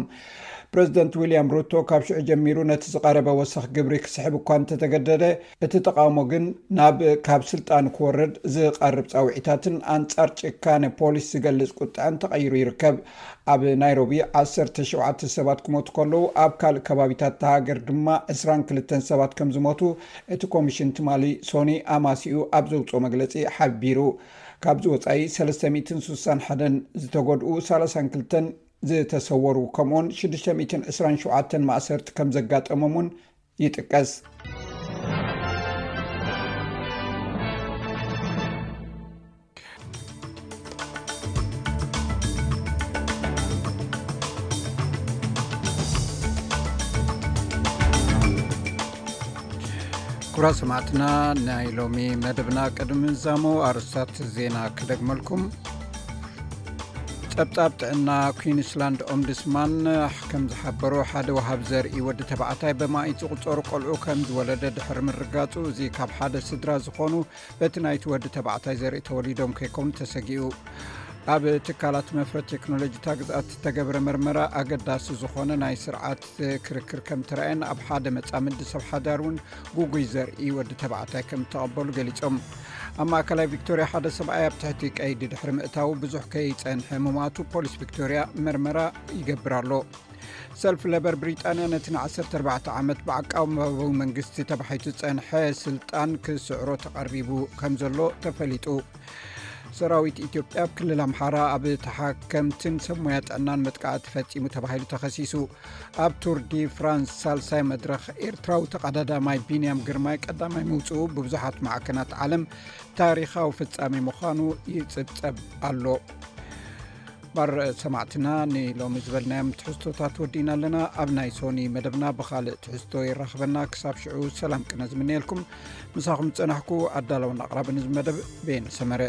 ፕረዚደንት ዊልያም ሩቶ ካብ ሽዑ ጀሚሩ ነቲ ዝቐረበ ወሰኽ ግብሪ ክስሕብ እኳ እንተተገደደ፣ እቲ ተቓውሞ ግን ናብ ካብ ስልጣን ክወርድ ዝቐርብ ጻውዒታትን ኣንጻር ጭካነ ፖሊስ ዝገልጽ ቁጥዐን ተቐይሩ ይርከብ። ኣብ ናይሮቢ ዓሰርተ ሸውዓተ ሰባት ክሞቱ ከለዉ፣ ኣብ ካልእ ከባቢታት እታ ሃገር ድማ ዕስራን ክልተን ሰባት ከም ዝሞቱ እቲ ኮሚሽን ትማሊ ሶኒ ኣማሲኡ ኣብ ዘውጽኦ መግለጺ ሓቢሩ። ካብዚ ወጻኢ ሰለስተ ሚእትን ስሳን ሓደን ዝተጎድኡ፣ ሰላሳን ክልተን ዝተሰወሩ፣ ከምኡውን ሽዱሽተ ሚእትን ዕስራን ሸውዓተን ማእሰርቲ ከም ዘጋጠሞም እውን ይጥቀስ። ክቡራት ሰማዕትና፣ ናይ ሎሚ መደብና ቅድሚ ምዛሙ ኣርእስታት ዜና ክደግመልኩም። ጸብጻብ ጥዕና ኩዊንስላንድ ኦምቡድስማን ከም ዝሓበሮ፣ ሓደ ወሃብ ዘርኢ ወዲ ተባዕታይ በማኢት ዝቑጸሩ ቆልዑ ከም ዝወለደ ድሕሪ ምርጋጹ፣ እዚ ካብ ሓደ ስድራ ዝኾኑ በቲ ናይቲ ወዲ ተባዕታይ ዘርኢ ተወሊዶም ከይኮኑ ተሰጊኡ። ኣብ ትካላት መፍረት ቴክኖሎጂ እታ ግዝኣት ዝተገብረ መርመራ፣ ኣገዳሲ ዝኾነ ናይ ስርዓት ክርክር ከም ተራእየን፣ ኣብ ሓደ መጻምዲ ሰብ ሓዳር እውን ጉጉይ ዘርኢ ወዲ ተባዕታይ ከም እተቐበሉ ገሊጾም። ኣብ ማእከላይ ቪክቶሪያ ሓደ ሰብኣይ ኣብ ትሕቲ ቀይዲ ድሕሪ ምእታዉ ብዙሕ ከይጸንሐ ምሟቱ ፖሊስ ቪክቶሪያ መርመራ ይገብር ኣሎ። ሰልፊ ለበር ብሪጣንያ ነቲ ንዓሰርተ ኣርባዕተ ዓመት ብዓቃባዊ መንግስቲ ተባሒቱ ዝጸንሐ ስልጣን ክስዕሮ ተቐሪቡ ከም ዘሎ ተፈሊጡ። ሰራዊት ኢትዮጵያ ኣብ ክልል ኣምሓራ ኣብ ተሓከምትን ሰብ ሞያ ጥዕናን መጥቃዕቲ ፈጺሙ ተባሂሉ ተኸሲሱ። ኣብ ቱር ዲ ፍራንስ ሳልሳይ መድረኽ ኤርትራዊ ተቐዳዳማይ ቢንያም ግርማይ ቀዳማይ ምውጽኡ ብብዙሓት ማዕከናት ዓለም ታሪኻዊ ፍጻሜ ምዃኑ ይጽብጸብ ኣሎ። ባር ሰማዕትና፣ ንሎሚ ዝበልናዮም ትሕዝቶታት ወዲእና ኣለና። ኣብ ናይ ሶኒ መደብና ብኻልእ ትሕዝቶ የራኽበና። ክሳብ ሽዑ ሰላም ቅነ ዝምነየልኩም። ምሳኹም ዝጸናሕኩ ኣዳለውን ኣቕራብን እዚ መደብ ቤን ሰመረ።